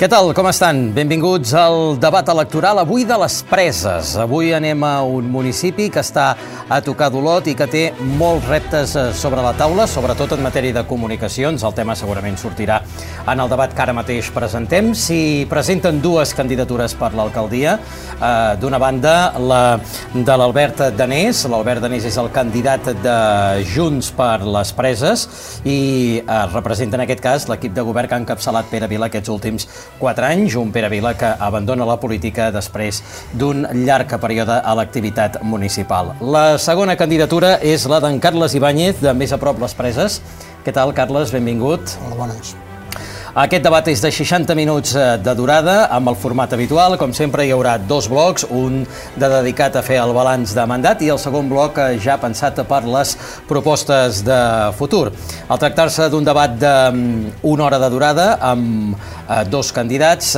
Què tal, com estan? Benvinguts al debat electoral, avui de les Preses. Avui anem a un municipi que està a tocar d'Olot i que té molts reptes sobre la taula, sobretot en matèria de comunicacions. El tema segurament sortirà en el debat que ara mateix presentem. S'hi presenten dues candidatures per l'alcaldia. D'una banda, la de l'Albert Danés. L'Albert Danés és el candidat de Junts per les Preses i representa en aquest cas l'equip de govern que ha encapçalat Pere Vila aquests últims 4 anys, un Pere Vila que abandona la política després d'un llarg període a l'activitat municipal. La segona candidatura és la d'en Carles Ibáñez, de Més a prop les Preses. Què tal, Carles? Benvingut. Hola, bones. Aquest debat és de 60 minuts de durada, amb el format habitual. Com sempre, hi haurà dos blocs, un dedicat a fer el balanç de mandat i el segon bloc ja pensat per les propostes de futur. Al tractar-se d'un debat d'una hora de durada, amb dos candidats,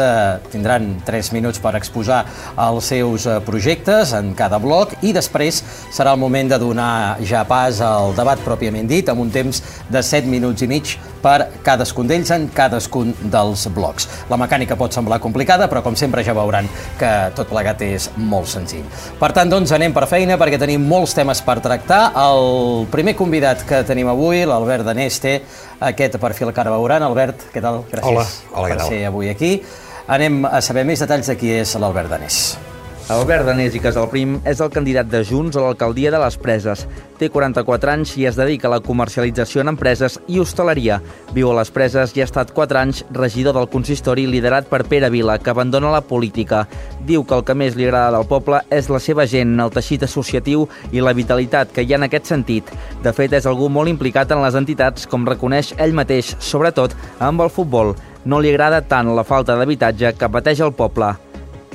tindran 3 minuts per exposar els seus projectes en cada bloc i després serà el moment de donar ja pas al debat pròpiament dit, amb un temps de 7 minuts i mig per cadascun d'ells en cadascun dels blocs. La mecànica pot semblar complicada, però com sempre ja veuran que tot plegat és molt senzill. Per tant, doncs, anem per feina perquè tenim molts temes per tractar. El primer convidat que tenim avui, l'Albert Danés, té aquest perfil que ara veuran. Albert, què tal? Gràcies per ser avui aquí. Anem a saber més detalls de qui és l'Albert Danés. Albert Danés i Casalprim és el candidat de Junts a l'alcaldia de les Preses. Té 44 anys i es dedica a la comercialització en empreses i hostaleria. Viu a les Preses i ha estat 4 anys regidor del consistori liderat per Pere Vila, que abandona la política. Diu que el que més li agrada del poble és la seva gent, el teixit associatiu i la vitalitat que hi ha en aquest sentit. De fet, és algú molt implicat en les entitats, com reconeix ell mateix, sobretot amb el futbol. No li agrada tant la falta d'habitatge que pateix el poble.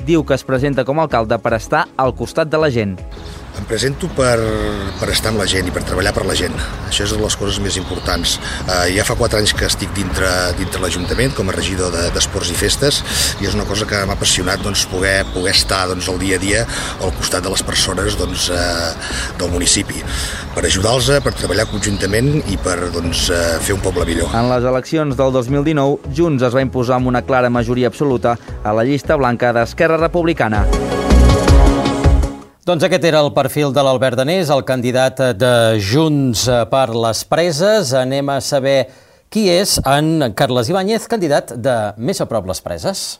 Diu que es presenta com a alcalde per estar al costat de la gent. Em presento per estar amb la gent i per treballar per la gent. Això és una de les coses més importants. Ja fa 4 anys que estic dintre l'Ajuntament com a regidor d'Esports i Festes i és una cosa que m'ha apassionat poder estar al dia a dia al costat de les persones del municipi, per ajudar-los, per treballar conjuntament i per fer un poble millor. En les eleccions del 2019, Junts es va imposar amb una clara majoria absoluta a la llista blanca d'Esquerra Republicana. Doncs aquest era el perfil de l'Albert Danés, el candidat de Junts per les Preses. Anem a saber qui és en Carles Ibáñez, candidat de Més a prop les Preses.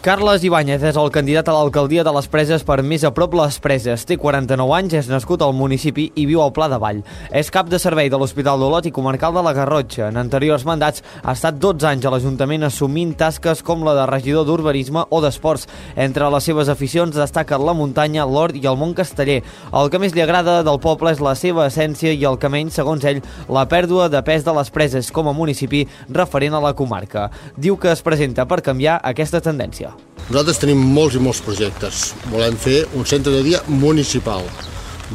Carles Ibáñez és el candidat a l'alcaldia de les Preses per Més a prop les Preses. Té 49 anys, és nascut al municipi i viu al Pla de Vall. És cap de servei de l'Hospital d'Olot i comarcal de la Garrotxa. En anteriors mandats ha estat 12 anys a l'Ajuntament assumint tasques com la de regidor d'urbanisme o d'esports. Entre les seves aficions destaquen la muntanya, l'hort i el món casteller. El que més li agrada del poble és la seva essència i el que menys, segons ell, la pèrdua de pes de les Preses com a municipi referent a la comarca. Diu que es presenta per canviar aquesta tendència. Nosaltres tenim molts i molts projectes. Volem fer un centre de dia municipal.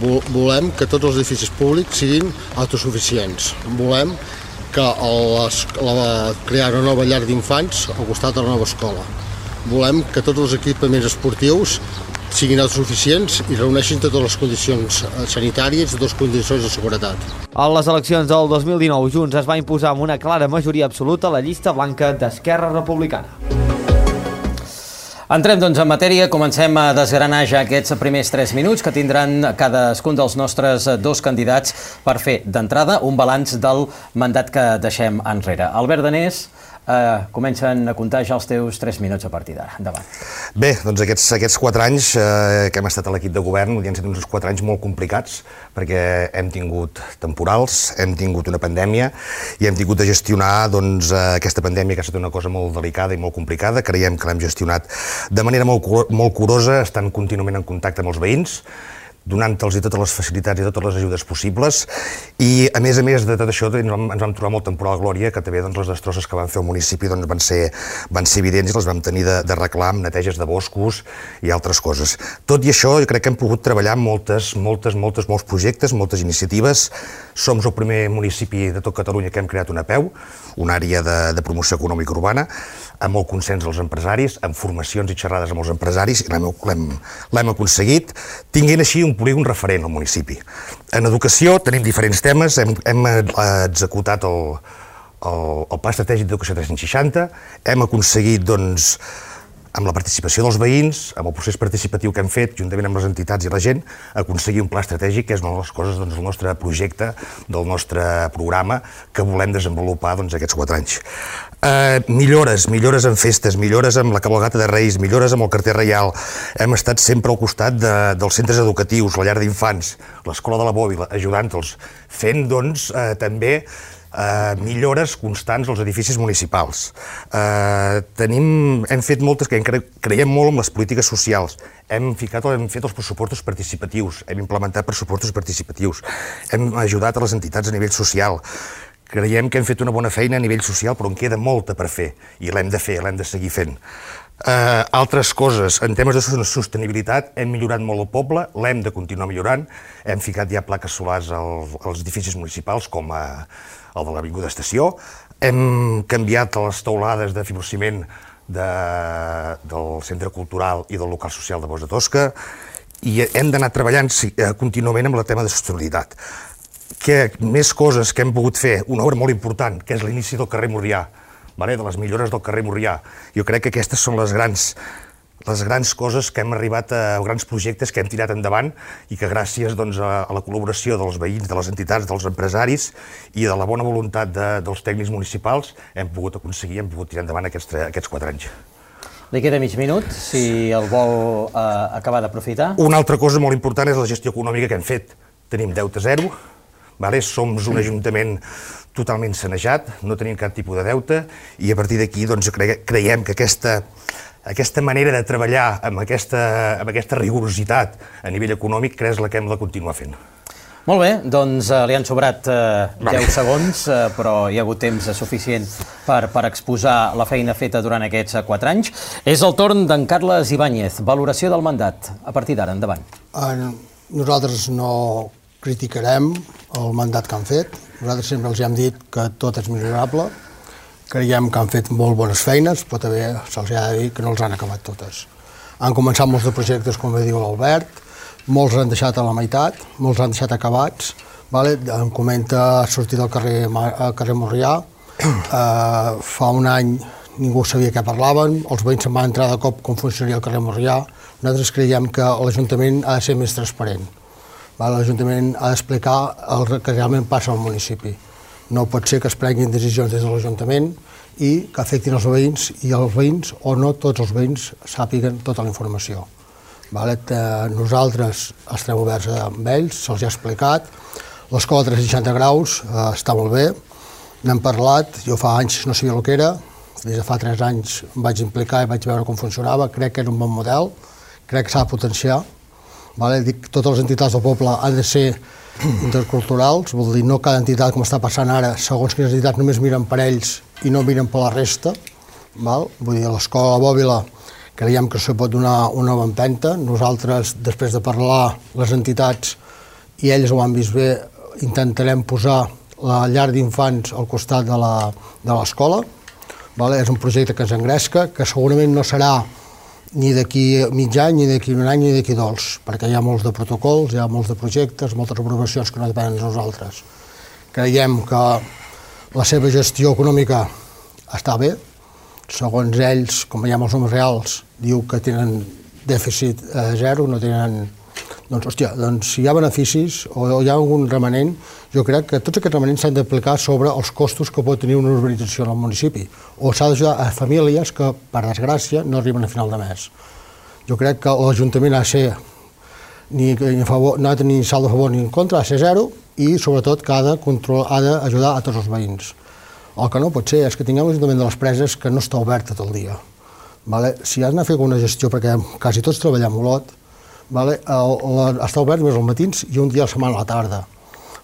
Volem que tots els edificis públics siguin autosuficients. Volem crear una nova llar d'infants al costat de la nova escola. Volem que tots els equipaments esportius siguin autosuficients i reuneixin totes les condicions sanitàries i totes les condicions de seguretat. A les eleccions del 2019, Junts es va imposar amb una clara majoria absoluta a la llista blanca d'Esquerra Republicana. Entrem, doncs, en matèria. Comencem a desgranar ja aquests primers 3 minuts que tindran cadascun dels nostres dos candidats per fer, d'entrada, un balanç del mandat que deixem enrere. Albert Danés, comencen a comptar ja els teus 3 minuts a partir d'ara. Endavant. Bé, doncs aquests 4 anys que hem estat a l'equip de govern han estat uns 4 anys molt complicats perquè hem tingut temporals, hem tingut una pandèmia i hem tingut de gestionar aquesta pandèmia que ha estat una cosa molt delicada i molt complicada. Creiem que l'hem gestionat de manera molt curosa, estant contínuament en contacte amb els veïns, donant-los totes les facilitats i totes les ajudes possibles i a més de tot això ens vam trobar molt temporal glòria que també les destrosses que van fer al municipi van ser evidents i les vam tenir de reclam, neteges de boscos i altres coses. Tot i això jo crec que hem pogut treballar molts projectes, moltes iniciatives. Som el primer municipi de tot Catalunya que hem creat una APEU, una àrea de promoció econòmica urbana, amb el consens dels empresaris, amb formacions i xerrades amb els empresaris, i l'hem aconseguit, tinguent així un polígon referent al municipi. En educació tenim diferents temes, hem executat el Pla Estratègic d'Educació 360, hem aconseguit, doncs, amb la participació dels veïns, amb el procés participatiu que hem fet, juntament amb les entitats i la gent, aconseguir un pla estratègic, que és una de les coses del nostre projecte, del nostre programa, que volem desenvolupar aquests 4 anys. Millores en festes, millores amb la cabalgata de Reis, millores amb el carter reial. Hem estat sempre al costat dels centres educatius, la llar d'infants, l'escola de la Bòbila, ajudant-los, fent, també millores constants als edificis municipals. Hem fet moltes, que creiem molt en les polítiques socials. Hem fet els pressupostos participatius, hem implementat pressupostos participatius, hem ajudat a les entitats a nivell social. Creiem que hem fet una bona feina a nivell social, però en queda molta per fer, i l'hem de fer, l'hem de seguir fent. Altres coses, en temes de sostenibilitat, hem millorat molt el poble, l'hem de continuar millorant, hem ficat ja plaques solars als edificis municipals, com el de l'Avinguda Estació, hem canviat les teulades de fibrociment del Centre Cultural i del local social de Bosch de Tosca, i hem d'anar treballant contínuament amb el tema de sostenibilitat. Més coses que hem pogut fer, una obra molt important, que és l'inici del carrer Morrià, de les millores del carrer Morrià. Jo crec que aquestes són les grans coses que hem arribat a grans projectes que hem tirat endavant i que gràcies a la col·laboració dels veïns, de les entitats, dels empresaris i de la bona voluntat dels tècnics municipals hem pogut aconseguir, hem pogut tirar endavant aquests 4 anys. Li queda mig minut, si el vol acabar d'aprofitar. Una altra cosa molt important és la gestió econòmica que hem fet. Tenim deute zero, som un ajuntament totalment sanejat, no tenim cap tipus de deute i a partir d'aquí creiem que aquesta manera de treballar amb aquesta rigorositat a nivell econòmic és la que hem de continuar fent. Molt bé, doncs li han sobrat 10 segons, però hi ha hagut temps suficient per exposar la feina feta durant aquests 4 anys. És el torn d'en Carles Ibáñez. Valoració del mandat. A partir d'ara, endavant. Nosaltres no criticarem el mandat que han fet. Nosaltres sempre els hem dit que tot és millorable. Creiem que han fet molt bones feines, però també se'ls ha de dir que no els han acabat totes. Han començat molts de projectes, com diu l'Albert, molts han deixat a la meitat, molts han deixat acabats. Em comenta sortir del carrer Morrià. Fa un any ningú sabia què parlaven, els veïns se'n van entrar de cop com funcionaria el carrer Morrià. Nosaltres creiem que l'Ajuntament ha de ser més transparent. L'Ajuntament ha d'explicar el que realment passa al municipi. No pot ser que es prenguin decisions des de l'Ajuntament i que afectin els veïns i els veïns, o no tots els veïns, sàpiguen tota la informació. Nosaltres estem oberts amb ells, se'ls ha explicat. L'escola 360 graus està molt bé, n'hem parlat, jo fa anys no sabia el que era, des de fa 3 anys em vaig implicar i vaig veure com funcionava, crec que era un bon model, crec que s'ha de potenciar. Dic, totes les entitats del poble han de ser interculturals, vol dir, no cada entitat, com està passant ara, segons quines entitats només miren per ells i no miren per la resta. Vull dir, a l'escola Bòbila creiem que se pot donar una nova empenta. Nosaltres, després de parlar les entitats, i elles ho han vist bé, intentarem posar la llar d'infants al costat de l'escola. És un projecte que ens engresca, que segurament no serà ni d'aquí mig any, ni d'aquí un any, ni d'aquí 2, perquè hi ha molts de protocols, hi ha molts de projectes, moltes aprovacions que no depenen de nosaltres. Creiem que la seva gestió econòmica està bé. Segons ells, com veiem els números reals, diu que tenen dèficit zero, no tenen... Doncs si hi ha beneficis o hi ha algun remanent, jo crec que tots aquests remanents s'han d'aplicar sobre els costos que pot tenir una urbanització en el municipi, o s'ha d'ajudar a famílies que, per desgràcia, no arriben a final de mes. Jo crec que l'Ajuntament ha de ser no ha de tenir saldo a favor ni en contra, ha de ser zero, i sobretot que ha d'ajudar a tots els veïns. El que no pot ser és que tinguem l'Ajuntament de les Preses que no està obert tot el dia. Si has d'anar a fer alguna gestió, perquè quasi tots treballem molt, està obert només als matins i un dia a la setmana a la tarda.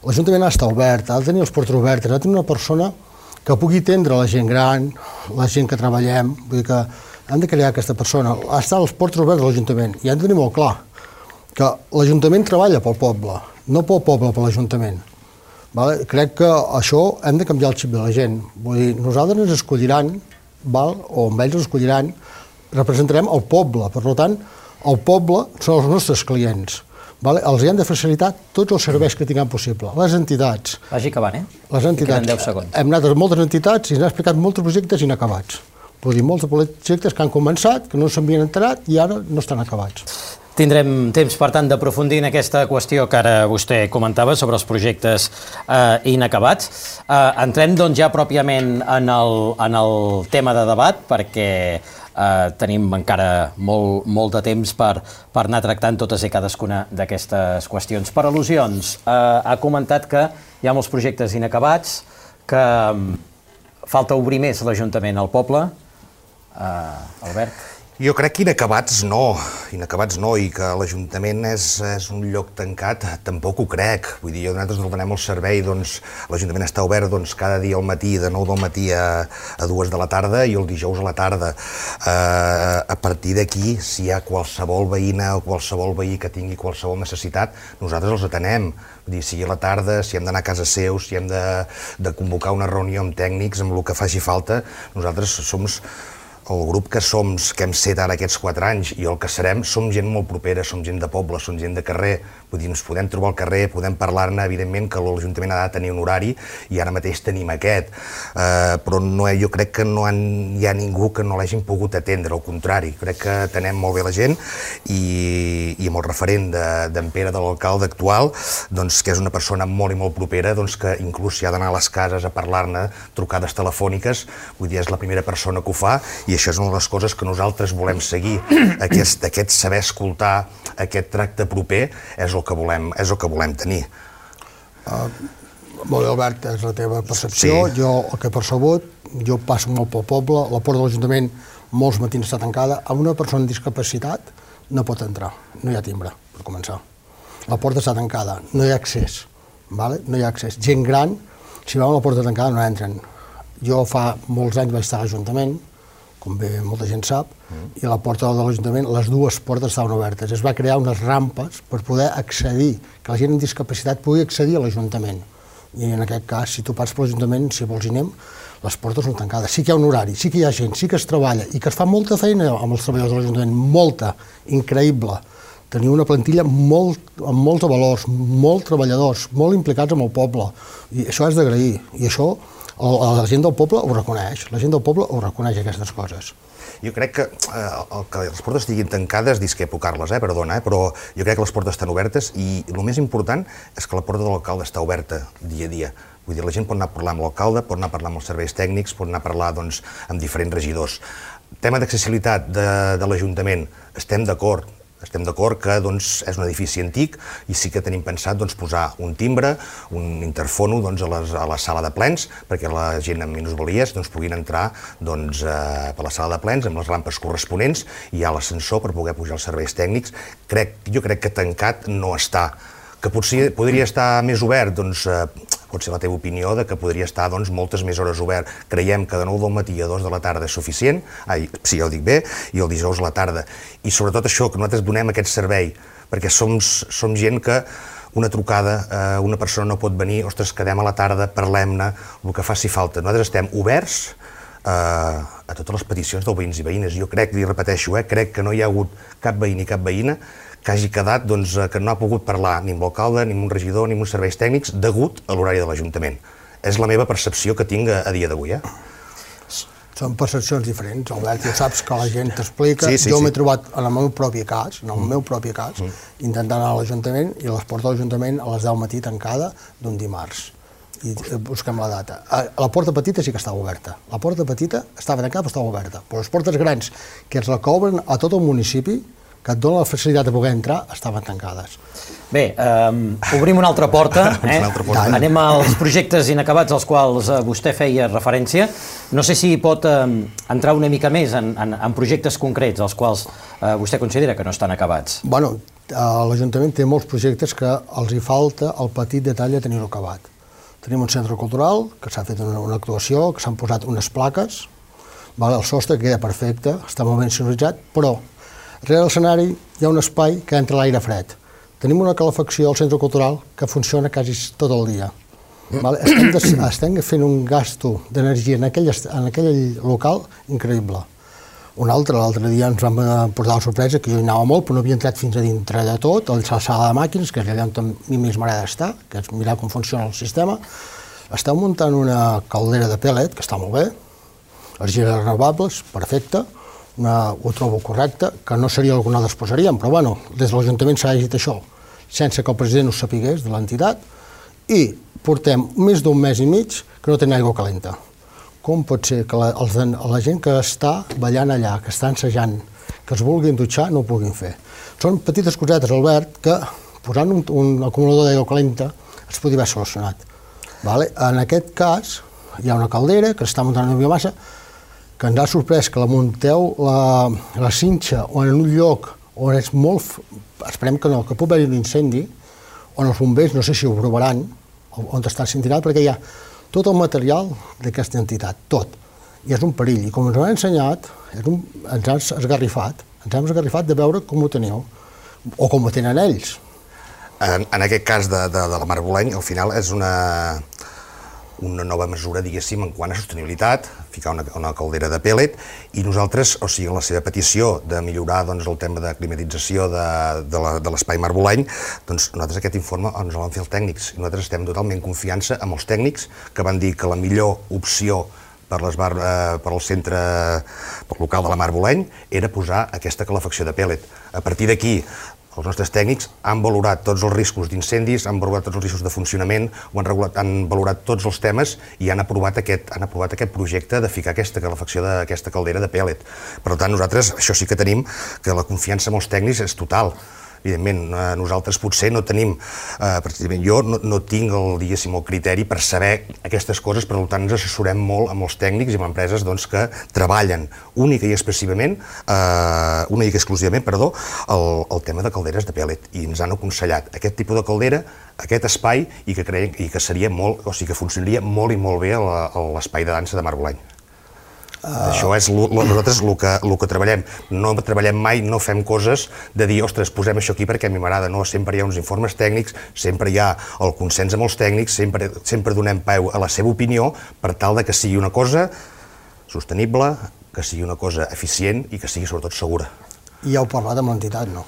L'Ajuntament ha d'estar obert, ha de tenir les portes obertes, ha de tenir una persona que pugui atendre la gent gran, la gent que treballem, vull dir que hem de crear aquesta persona, ha d'estar a les portes obertes de l'Ajuntament i hem de tenir molt clar que l'Ajuntament treballa pel poble, no pel poble, per l'Ajuntament. Crec que això hem de canviar el xip de la gent, vull dir, nosaltres ens escolliran, o amb ells ens escolliran, representarem el poble, per tant, el poble són els nostres clients. Els hem de facilitar tots els serveis que tinguem possible. Les entitats. Vagi acabant, Les entitats. Queden 10 segons. Hem anat a moltes entitats i ens han explicat molts projectes inacabats. Vull dir, molts projectes que han començat, que no s'havien enterat i ara no estan acabats. Tindrem temps, per tant, d'aprofundir en aquesta qüestió que ara vostè comentava sobre els projectes inacabats. Entrem, doncs, ja pròpiament en el tema de debat, perquè tenim encara molt de temps per anar tractant totes i cadascuna d'aquestes qüestions. Per al·lusions, ha comentat que hi ha molts projectes inacabats, que falta obrir més l'Ajuntament al poble. Albert? Jo crec que inacabats no, i que l'Ajuntament és un lloc tancat, tampoc ho crec. Vull dir, nosaltres donem el servei, doncs, l'Ajuntament està obert cada dia al matí, de 9 del matí a 2 de la tarda i el dijous a la tarda. A partir d'aquí, si hi ha qualsevol veïna o qualsevol veí que tingui qualsevol necessitat, nosaltres els atenem. Vull dir, sigui a la tarda, si hem d'anar a casa seu, si hem de convocar una reunió amb tècnics, amb el que faci falta, nosaltres som el grup que hem set ara aquests 4 anys i el que serem, som gent molt propera, som gent de poble, som gent de carrer, vull dir, ens podem trobar al carrer, podem parlar-ne, evidentment que l'Ajuntament ha de tenir un horari i ara mateix tenim aquest, però jo crec que no hi ha ningú que no l'hagin pogut atendre, al contrari, crec que atenem molt bé la gent i amb el referent d'en Pere, de l'alcalde actual, que és una persona molt i molt propera, que inclús si ha d'anar a les cases a parlar-ne, trucades telefòniques, vull dir, és la primera persona que ho fa i això és una de les coses que nosaltres volem seguir, aquest saber escoltar, aquest tracte proper, és el que volem tenir. Molt bé, Albert, és la teva percepció. Sí. Jo, el que he percebut, jo passo molt pel poble, la porta de l'Ajuntament molts matins està tancada, amb una persona amb discapacitat no pot entrar, no hi ha timbre, per començar. La porta està tancada, no hi ha accés, no hi ha accés. Gent gran, si veuen la porta tancada no entren. Jo fa molts anys vaig estar a l'Ajuntament, com bé molta gent sap, i a la porta de l'Ajuntament les dues portes estaven obertes. Es va crear unes rampes per poder accedir, que la gent amb discapacitat pugui accedir a l'Ajuntament. I en aquest cas, si tu passes per l'Ajuntament, si vols hi anem, les portes són tancades. Sí que hi ha un horari, sí que hi ha gent, sí que es treballa i que es fa molta feina amb els treballadors de l'Ajuntament, molta, increïble. Tenir una plantilla amb molts valors, molts treballadors, molt implicats amb el poble. I això és d'agrair. I això la gent del poble ho reconeix, aquestes coses. Jo crec que les portes estiguin tancades, discrepo-Carles, perdona, però jo crec que les portes estan obertes i el més important és que la porta de l'alcalde està oberta dia a dia. Vull dir, la gent pot anar a parlar amb l'alcalde, pot anar a parlar amb els serveis tècnics, pot anar a parlar amb diferents regidors. Tema d'accessibilitat de l'Ajuntament, estem d'acord que és un edifici antic i sí que tenim pensat posar un timbre, un interfono a la sala de plens perquè la gent amb minusvalies puguin entrar per la sala de plens amb les rampes corresponents i hi ha l'ascensor per poder pujar els serveis tècnics. Jo crec que tancat no està. Que potser podria estar més obert, pot ser la teva opinió de que podria estar moltes més hores obert. Creiem que de 9 del matí a 2 de la tarda és suficient, sí, ja ho dic bé, i el dijous a la tarda. I sobretot això, que nosaltres donem aquest servei, perquè som gent que una trucada, una persona no pot venir, ostres, quedem a la tarda, parlem-ne, el que faci falta. Nosaltres estem oberts a totes les peticions dels veïns i veïnes. Jo crec, i repeteixo, crec que no hi ha hagut cap veí ni cap veïna que hagi quedat que no ha pogut parlar ni amb l'alcalde, ni amb un regidor, ni amb uns serveis tècnics degut a l'horari de l'Ajuntament. És la meva percepció que tinc a dia d'avui. Són percepcions diferents, Albert, ja saps que la gent t'explica. Jo m'he trobat en el meu propi cas, intentant anar a l'Ajuntament i a les portes de l'Ajuntament a les 10 del matí tancada d'un dimarts. I busquem la data. La porta petita sí que estava oberta. La porta petita estava tancada però estava oberta. Però les portes grans, que és la que obren a tot el municipi, que et dona la facilitat de poder entrar, estaven tancades. Bé, obrim una altra porta. Anem als projectes inacabats als quals vostè feia referència. No sé si pot entrar una mica més en projectes concrets als quals vostè considera que no estan acabats. Bueno, l'Ajuntament té molts projectes que els hi falta el petit detall de tenir-ho acabat. Tenim un centre cultural, que s'ha fet una actuació, que s'han posat unes plaques, el sostre queda perfecte, està molt ben sonoritzat, però darrere l'escenari hi ha un espai que entra l'aire fred. Tenim una calefacció al centre cultural que funciona quasi tot el dia. Estem fent un gasto d'energia en aquell local increïble. L'altre dia ens vam portar la sorpresa, que jo hi anava molt, però no havia entrat fins a dintre de tot, a la sala de màquines, que és allà on a mi més m'agrada estar, que és mirar com funciona el sistema. Esteu muntant una caldera de pellet, que està molt bé, energies renovables, perfecte, ho trobo correcte, que no seria el que nosaltres posaríem, però bueno, des de l'Ajuntament s'ha dit això, sense que el president ho sapigués de l'entitat, i portem més d'un mes i mig que no tenen aigua calenta. Com pot ser que la gent que està ballant allà, que està ensejant, que es vulguin dutxar, no ho puguin fer? Són petites cosetes, Albert, que posant un acumulador d'aigua calenta es podria haver solucionat. En aquest cas, hi ha una caldera que està muntant una biomassa que ens ha sorprès que la munteu la cinxa o en un lloc on és molt... Esperem que no, que pot haver un incendi, on els bombers no sé si ho provaran, on està incendiat, perquè hi ha tot el material d'aquesta entitat, tot. I és un perill. I com ens ho han ensenyat, ens han esgarrifat de veure com ho teniu, o com ho tenen ells. En aquest cas de la Mar Boleny, al final és una nova mesura, diguéssim, en quant a sostenibilitat, ficar una caldera de pellet, i nosaltres, o sigui, en la seva petició de millorar el tema de climatització de l'espai Mar Boleny, doncs nosaltres aquest informe ens el van fer els tècnics, i nosaltres estem totalment en confiança amb els tècnics que van dir que la millor opció per al centre local de la Mar Boleny era posar aquesta calefacció de pellet. A partir d'aquí, els nostres tècnics han valorat tots els riscos d'incendis, han valorat tots els riscos de funcionament, han valorat tots els temes i han aprovat aquest projecte de ficar aquesta calefacció d'aquesta caldera de pellet. Per tant, nosaltres això sí que tenim, que la confiança en els tècnics és total. Evidentment, nosaltres potser no tenim, precisament jo no tinc el criteri per saber aquestes coses, per tant ens assessorem molt amb els tècnics i amb empreses que treballen única i exclusivament el tema de calderes de pellet, i ens han aconsellat aquest tipus de caldera, aquest espai, i que creiem que seria molt, o sigui que funcionaria molt i molt bé a l'espai de dansa de Mar Boleny. Això és nosaltres el que treballem. No treballem mai, no fem coses de dir, ostres, posem això aquí perquè a mi m'agrada. No, sempre hi ha uns informes tècnics, sempre hi ha el consens amb els tècnics, sempre donem peu a la seva opinió per tal que sigui una cosa sostenible, que sigui una cosa eficient i que sigui sobretot segura. I heu parlat amb l'entitat, no?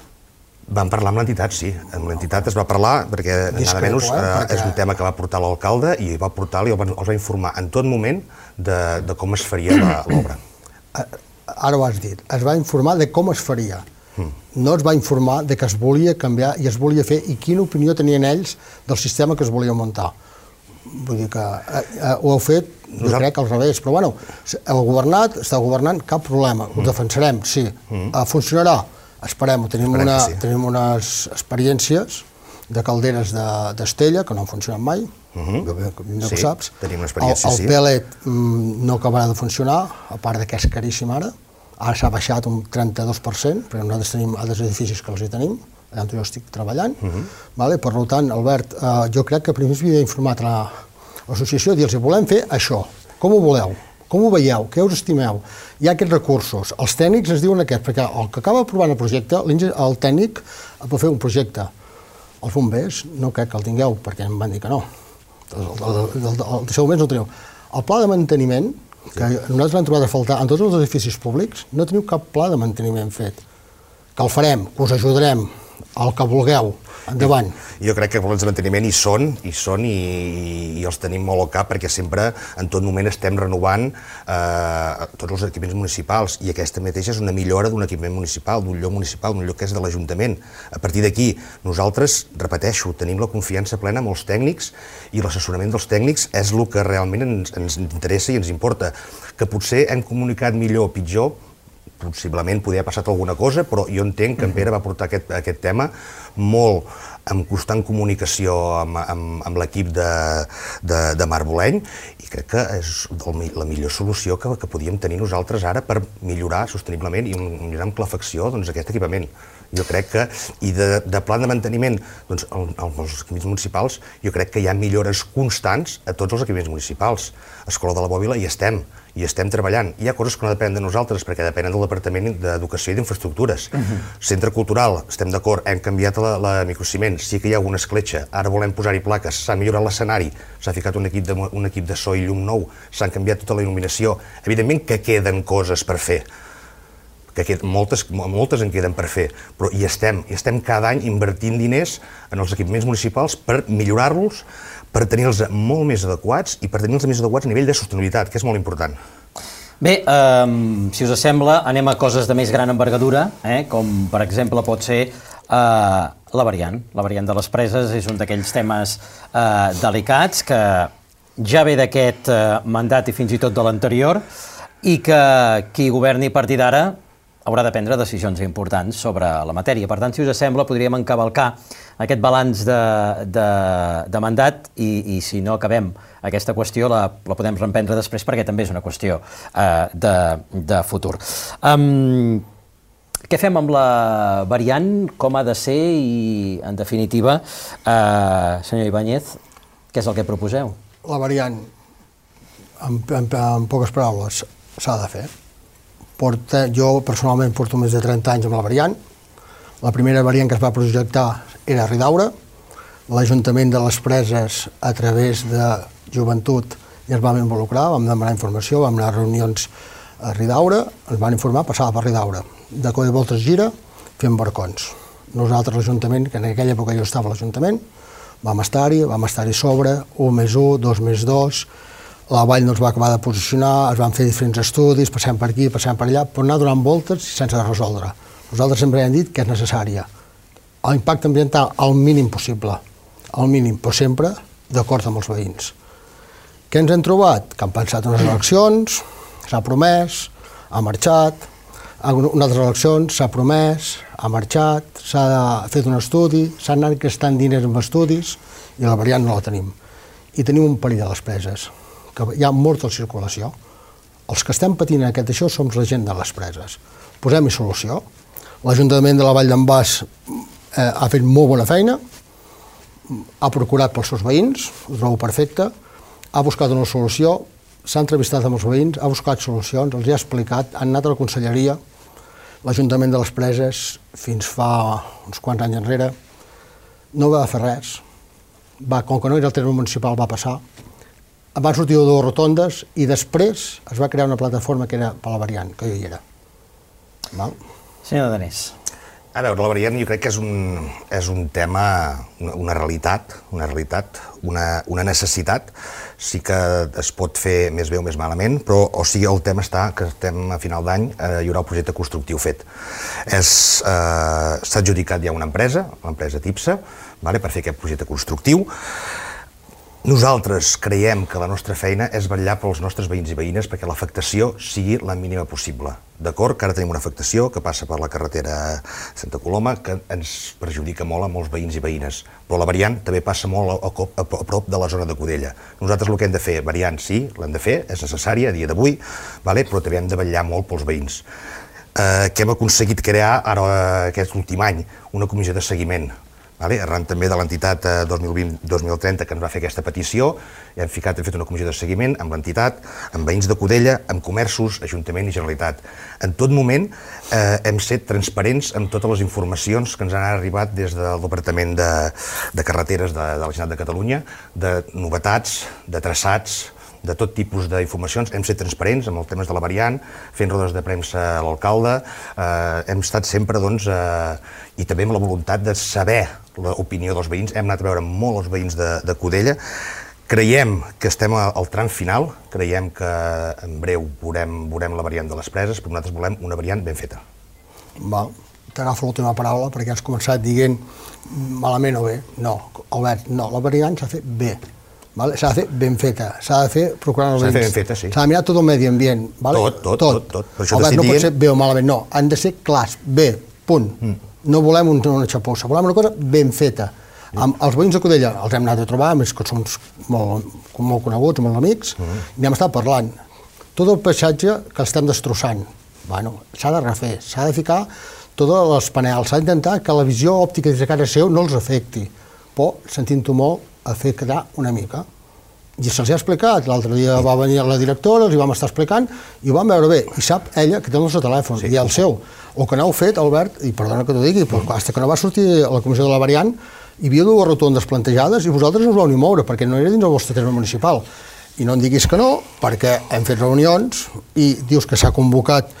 Vam parlar amb l'entitat, sí. Amb l'entitat es va parlar perquè, nada menys, és un tema que va portar l'alcalde i va portar-li, els va informar en tot moment de com es faria l'obra. Ara ho has dit, es va informar de com es faria. No es va informar de que es volia canviar i es volia fer i quina opinió tenien ells del sistema que es volia muntar. Vull dir que ho heu fet, jo crec que al revés, però bueno, heu governat, esteu governant, cap problema, ho defensarem, sí. Funcionarà? Esperem-ho. Tenim unes experiències de calderes d'Estella que no han funcionat mai, no ho saps. Tenim una experiència, sí. El pellet no acabarà de funcionar, a part que és caríssim ara. Ara s'ha baixat un 32%, perquè nosaltres tenim altres edificis que els hi tenim, allà on jo estic treballant. Per tant, Albert, jo crec que primer s'havia informat a l'associació i dir-los, volem fer això, com ho voleu? Com ho veieu? Què us estimeu? Hi ha aquests recursos. Els tècnics ens diuen aquests, perquè el que acaba aprovant el projecte, el tècnic pot fer un projecte. Els bombers no crec que el tingueu, perquè em van dir que no. Els bombers no el teniu. El pla de manteniment, que nosaltres l'hem trobat a faltar en tots els edificis públics, no teniu cap pla de manteniment fet. Que el farem, que us ajudarem, el que vulgueu. Endavant. Jo crec que els de manteniment hi són i els tenim molt al cap perquè sempre, en tot moment, estem renovant tots els equipaments municipals i aquesta mateixa és una millora d'un equipament municipal, d'un lloc que és de l'Ajuntament. A partir d'aquí, nosaltres, repeteixo, tenim la confiança plena amb els tècnics i l'assessorament dels tècnics és el que realment ens interessa i ens importa. Que potser hem comunicat millor o pitjor, possiblement podia haver passat alguna cosa, però jo entenc que en Pere va portar aquest tema molt en constant comunicació amb l'equip de Mar Boleny i crec que és la millor solució que podíem tenir nosaltres ara per millorar sosteniblement i millorar amb calefacció aquest equipament. Jo crec que, i de pla de manteniment, doncs als equipaments municipals, jo crec que hi ha millores constants a tots els equipaments municipals. A Escola de la Bòbila hi estem treballant. Hi ha coses que no depenen de nosaltres, perquè depenen del Departament d'Educació i d'Infraestructures. Centre Cultural, estem d'acord, hem canviat la microciment, sí que hi ha alguna escletxa, ara volem posar-hi plaques, s'ha millorat l'escenari, s'ha ficat un equip de so i llum nou, s'han canviat tota la il·luminació. Evidentment que queden coses per fer, que moltes en queden per fer, però hi estem cada any invertint diners en els equipaments municipals per millorar-los, per tenir-los molt més adequats i per tenir-los més adequats a nivell de sostenibilitat, que és molt important. Bé, si us sembla, anem a coses de més gran envergadura, com per exemple pot ser la variant. La variant de les preses és un d'aquells temes delicats que ja ve d'aquest mandat i fins i tot de l'anterior i que qui governi a partir d'ara haurà de prendre decisions importants sobre la matèria. Per tant, si us sembla, podríem encavalcar aquest balanç de mandat i si no acabem aquesta qüestió la podem reemprendre després perquè també és una qüestió de futur. Què fem amb la variant? Com ha de ser? I, en definitiva, senyor Ibáñez, què és el que proposeu? La variant, en poques paraules, s'ha de fer. Jo personalment porto més de 30 anys amb la variant. La primera variant que es va projectar era a Ridaura. L'Ajuntament de les Preses, a través de Joventut, ja es vam involucrar, vam demanar informació, vam anar a reunions a Ridaura, ens van informar, passava per Ridaura. De cop i volta es gira, fem barcons. Nosaltres, l'Ajuntament, que en aquella època jo estava a l'Ajuntament, vam estar-hi sobre, 1+1, 2+2, la vall no es va acabar de posicionar, es van fer diferents estudis, passem per aquí, passem per allà, però anar donant voltes sense resoldre. Nosaltres sempre hem dit que és necessària. L'impacte ambiental al mínim possible, al mínim, però sempre d'acord amb els veïns. Què ens hem trobat? Que han pensat unes eleccions, s'ha promès, ha marxat, unes altres eleccions, s'ha promès, ha marxat, s'ha fet un estudi, s'han anat gastant diners en estudis i la variant no la tenim. I tenim un perill a les preses, que hi ha molta circulació. Els que estem patint aquest això som la gent de les preses. Posem-hi solució. L'Ajuntament de la Vall d'en Bas ha fet molt bona feina, ha procurat pels seus veïns, ho trobo perfecte, ha buscat una solució, s'ha entrevistat amb els veïns, ha buscat solucions, els ha explicat, han anat a la conselleria, l'Ajuntament de les Preses, fins fa uns quants anys enrere, no va fer res. Com que no era el terme municipal, va passar. Van sortir 2 rotondes i després es va crear una plataforma que era per la variant, que jo hi era. Senyor Danés. A veure, la variant jo crec que és un tema, una realitat, una necessitat. Sí que es pot fer més bé o més malament, però el tema està que estem a final d'any, hi haurà un projecte constructiu fet. S'ha adjudicat ja una empresa, l'empresa TIPSA, per fer aquest projecte constructiu. Nosaltres creiem que la nostra feina és vetllar pels nostres veïns i veïnes perquè l'afectació sigui la mínima possible. D'acord que ara tenim una afectació que passa per la carretera Santa Coloma que ens perjudica molt a molts veïns i veïnes, però la variant també passa molt a prop de la zona de Cudella. Nosaltres el que hem de fer, variant sí, l'hem de fer, és necessària a dia d'avui, però també hem de vetllar molt pels veïns. Que hem aconseguit crear ara aquest últim any una comissió de seguiment, arran també de l'entitat 2020-2030 que ens va fer aquesta petició, hem fet una comissió de seguiment amb l'entitat, amb veïns de Cudella, amb comerços, Ajuntament i Generalitat. En tot moment hem set transparents amb totes les informacions que ens han arribat des del Departament de Carreteres de la Generalitat de Catalunya, de novetats, de traçats, de tot tipus d'informacions. Hem estat transparents amb els temes de la variant, fent rodes de premsa a l'alcalde, hem estat sempre, i també amb la voluntat de saber l'opinió dels veïns. Hem anat a veure molt els veïns de Cudella. Creiem que estem al tram final, creiem que en breu veurem la variant de les Preses, però nosaltres volem una variant ben feta. T'agafo l'última paraula perquè has començat dient malament o bé. No, Albert, no, la variant s'ha de fer bé. S'ha de fer ben feta, s'ha de fer procurant els veïns. S'ha de fer ben feta, sí. S'ha de mirar tot el medi ambient. Tot. Albert, no pot ser bé o malament, no. Han de ser clars, bé, punt. No volem una xapussa, volem una cosa ben feta. Els veïns de Cudella els hem anat a trobar, a més que som molt coneguts, molt amics, i hem estat parlant. Tot el paisatge que estem destrossant, s'ha de refer, s'ha de ficar tots els panels, s'ha d'intentar que la visió òptica des de casa seu no els afecti, però sentint-ho molt a fer quedar una mica. I se'ls ha explicat, l'altre dia va venir la directora, els hi vam estar explicant, i ho vam veure bé, i sap ella que té el nostre telèfon, i el seu. O que n'heu fet, Albert, i perdona que t'ho digui, però fins que no va sortir a la comissió de la variant, hi havia 2 rotondes plantejades i vosaltres no us vau ni moure, perquè no era dins el vostre terme municipal. I no em diguis que no, perquè hem fet reunions i dius que s'ha convocat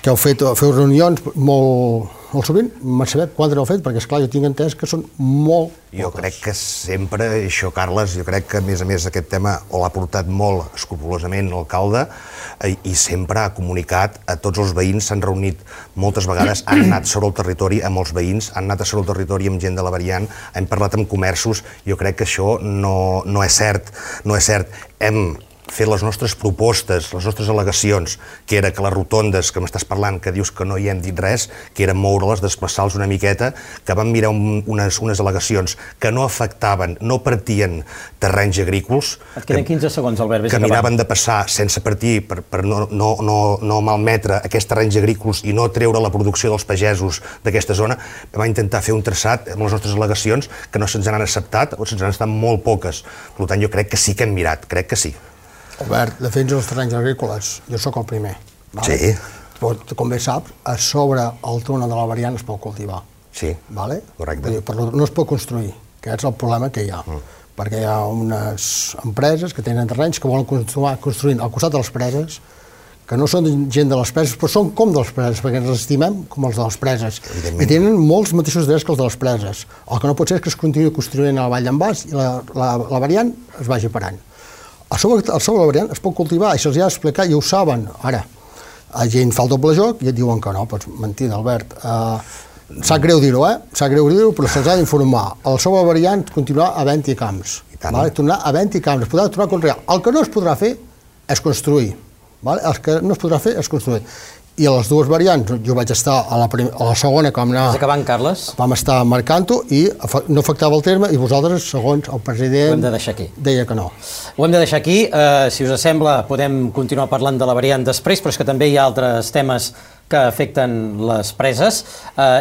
que feu reunions molt sovint, m'ha sabut quantes heu fet, perquè esclar, jo tinc entès que són molt poques. Jo crec que sempre, això, Carles, jo crec que a més aquest tema l'ha portat molt escrupolosament l'alcalde i sempre ha comunicat a tots els veïns, s'han reunit moltes vegades, han anat sobre el territori amb els veïns, han anat sobre el territori amb gent de la variant, hem parlat amb comerços, jo crec que això no és cert, hem fer les nostres propostes, les nostres al·legacions, que era que les rotondes que m'estàs parlant, que dius que no hi hem dit res, que era moure-les, desplaçar-los una miqueta, que vam mirar unes al·legacions que no afectaven, no partien terrenys agrícoles. Et queden 15 segons, Albert. Que miraven de passar sense partir per no malmetre aquests terrenys agrícoles i no treure la producció dels pagesos d'aquesta zona. Vam intentar fer un traçat amb les nostres al·legacions que no se'ns han acceptat o se'ns han estat molt poques. Per tant, jo crec que sí que hem mirat, crec que sí. Albert, defensa els terrenys agrícoles, jo sóc el primer. Sí. Però, com bé saps, a sobre el túnel de la variant es pot cultivar. Sí, correcte. No es pot construir, que és el problema que hi ha. Perquè hi ha unes empreses que tenen terrenys que volen continuar construint al costat de les preses, que no són gent de les preses, però són com de les preses, perquè ens estimem com els de les preses. I tenen molts mateixos drets que els de les preses. El que no pot ser és que es continuï construint a la vall d'en Bas i la variant es vagi parant. A sobre la variant es pot cultivar i se'ls ha d'explicar i ho saben. Ara, a gent fa el doble joc i et diuen que no, doncs mentida, Albert. Sap greu dir-ho, Sap greu dir-ho, però se'ls ha d'informar. A la sobre variant continuarà havent-hi camps. Tornar havent-hi camps, es podrà tornar a conrear. El que no es podrà fer és construir. El que no es podrà fer és construir. I a les dues variants, jo vaig estar a la segona, com anar... Estàs acabant, Carles? Vam estar marcant-ho i no afectava el terme i vosaltres, segons el president... Ho hem de deixar aquí. Deia que no. Ho hem de deixar aquí. Si us sembla, podem continuar parlant de la variant després, però és que també hi ha altres temes que afecten les preses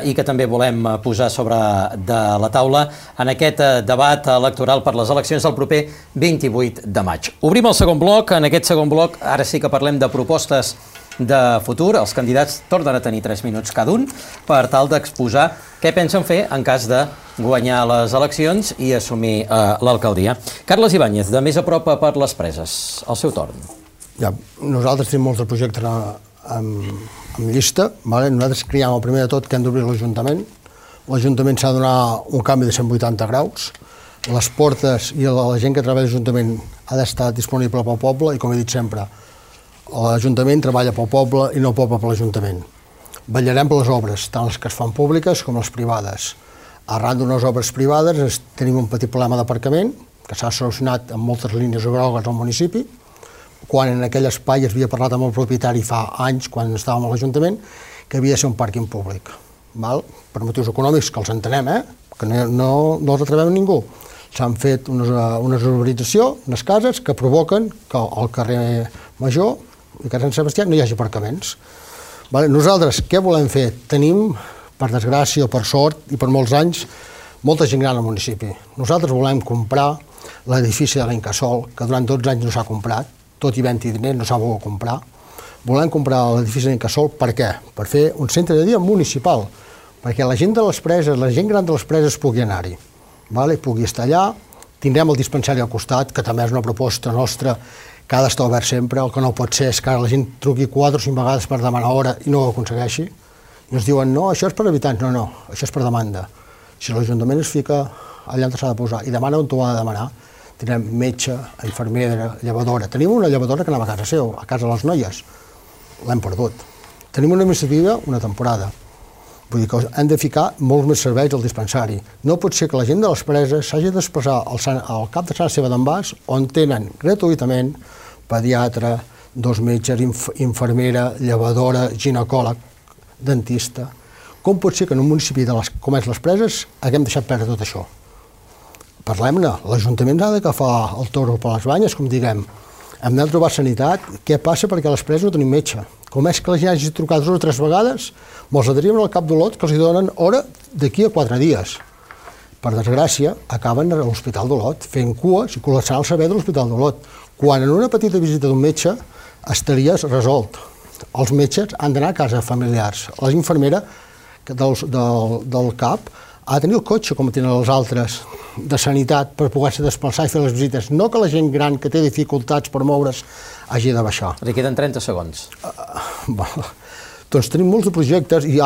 i que també volem posar sobre de la taula en aquest debat electoral per les eleccions del proper 28 de maig. Obrim el segon bloc. En aquest segon bloc ara sí que parlem de propostes de futur. Els candidats tornen a tenir 3 minuts cada un per tal d'exposar què pensen fer en cas de guanyar les eleccions i assumir l'alcaldia. Carles Ibáñez, de Més a prop per les preses, el seu torn. Ja, nosaltres tenim molts projectes en llista. Nosaltres creiem, el primer de tot, que hem d'obrir l'Ajuntament. L'Ajuntament s'ha de donar un canvi de 180 graus. Les portes i la gent que treballa a l'Ajuntament ha d'estar disponible pel poble i, com he dit sempre, l'Ajuntament treballa pel poble i no el poble per l'Ajuntament. Vetllarem per les obres, tant les que es fan públiques com les privades. Arran d'unes obres privades tenim un petit problema d'aparcament que s'ha solucionat amb moltes línies grogues al municipi, quan en aquell espai es havia parlat amb el propietari fa anys, quan estàvem a l'Ajuntament, que havia de ser un pàrquing públic. Per motius econòmics, que els entenem, que no els atrevem a ningú. S'han fet una urbanització, unes cases, que provoquen que al carrer Major i carrer Sant Sebastià no hi hagi aparcaments. Nosaltres què volem fer? Tenim, per desgràcia o per sort i per molts anys, molta gent gran al municipi. Nosaltres volem comprar l'edifici de l'Incasòl, que durant 12 anys no s'ha comprat, tot i havent-hi diners no s'ha volgut comprar. Volem comprar l'edifici de l'Incasòl per què? Per fer un centre de dia municipal, perquè la gent de les preses, la gent gran de les preses pugui anar-hi, pugui estar allà. Tindrem el dispensari al costat, que també és una proposta nostra que ha d'estar obert sempre. El que no pot ser és que la gent truqui 4 o 5 vegades per demanar hora i no ho aconsegueixi. I ens diuen, no, això és per habitants. No, això és per demanda. Si l'Ajuntament es fica allà on s'ha de posar i demana on t'ho ha de demanar, tindrem metge, infermera, llevadora. Tenim una llevadora que anava a casa seu, a casa de les noies. L'hem perdut. Tenim una administrativa una temporada. Vull dir que hem de ficar molts més serveis al dispensari. No pot ser que la gent de les preses s'hagi de desplaçar al cap de Sant Esteve d'en Bas, on tenen gratuïtament pediatre, 2 metges, infermera, llevadora, ginecòleg, dentista. Com pot ser que en un municipi com és les preses haguem deixat perdre tot això? Parlem-ne. L'Ajuntament ha d'agafar el toro per les banyes, com diguem. Hem de trobar sanitat. Què passa perquè a les preses no tenim metge? Com és que la gent hagi trucat 2 o 3 vegades, me'ls adherien al cap d'Olot que els donen hora d'aquí a 4 dies. Per desgràcia, acaben a l'Hospital d'Olot fent cues i col·lapsant el servei de l'Hospital d'Olot, quan en una petita visita d'un metge estaria resolt. Els metges han d'anar a casa familiars. La infermera del CAP ha de tenir el cotxe, com tenen els altres, de sanitat per poder-se desplaçar i fer les visites. No que la gent gran que té dificultats per moure's hagi de baixar. Li queden 30 segons. Doncs tenim molts de projectes i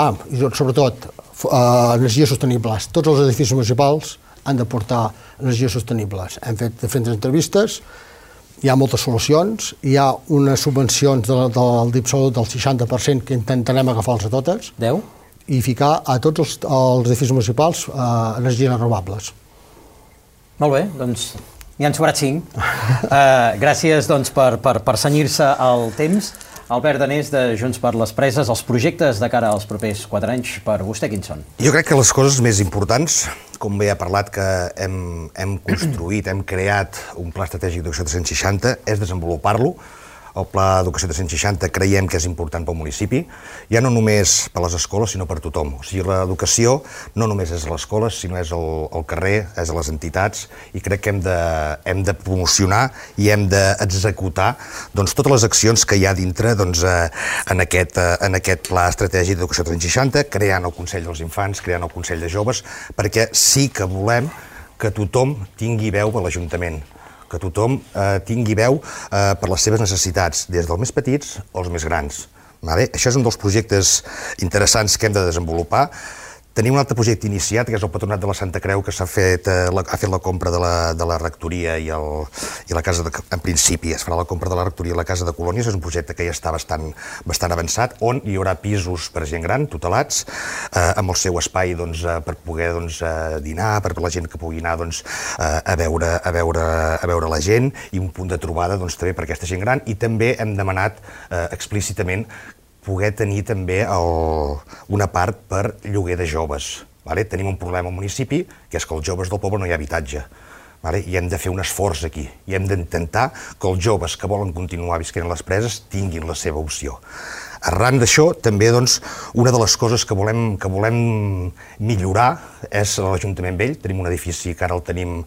sobretot energies sostenibles. Tots els edificis municipals han de portar energies sostenibles. Hem fet diferents entrevistes, hi ha moltes solucions, hi ha unes subvencions del DIPSOL del 60% que intentarem agafar-les a totes. 10? I ficar a tots els edificis municipals energies renovables. Molt bé, doncs n'hi han sobrat 5. Gràcies doncs, per cenyir-se al temps. Albert Danés, de Junts per les Preses, els projectes de cara als propers 4 anys, per vostè quins són? Jo crec que les coses més importants, com bé ha parlat que hem construït, hem creat un pla estratègic d'educació 360, és desenvolupar-lo. El Pla d'Educació 360 creiem que és important pel municipi, ja no només per les escoles, sinó per tothom. O sigui, l'educació no només és a les escoles, sinó és al carrer, és a les entitats, i crec que hem de promocionar i hem d'executar totes les accions que hi ha dintre en aquest Pla Estratègic d'Educació 360, creant el Consell dels Infants, creant el Consell de Joves, perquè sí que volem que tothom tingui veu a l'Ajuntament, que tothom tingui veu per les seves necessitats, des dels més petits als més grans. Això és un dels projectes interessants que hem de desenvolupar. Tenim un altre projecte iniciat, que és el Patronat de la Santa Creu, que ha fet la compra de la rectoria i la casa, en principi, es farà la compra de la rectoria i la casa de colònies. És un projecte que ja està bastant avançat, on hi haurà pisos per gent gran, tutelats, amb el seu espai per poder dinar, per la gent que pugui anar a veure la gent, i un punt de trobada també per aquesta gent gran. I també hem demanat explícitament poder tenir també una part per lloguer de joves. Tenim un problema al municipi, que és que els joves del poble no hi ha habitatge. I hem de fer un esforç aquí, i hem d'intentar que els joves que volen continuar visquent a les preses tinguin la seva opció. Arran d'això, també una de les coses que volem millorar és l'Ajuntament Vell. Tenim un edifici que ara el tenim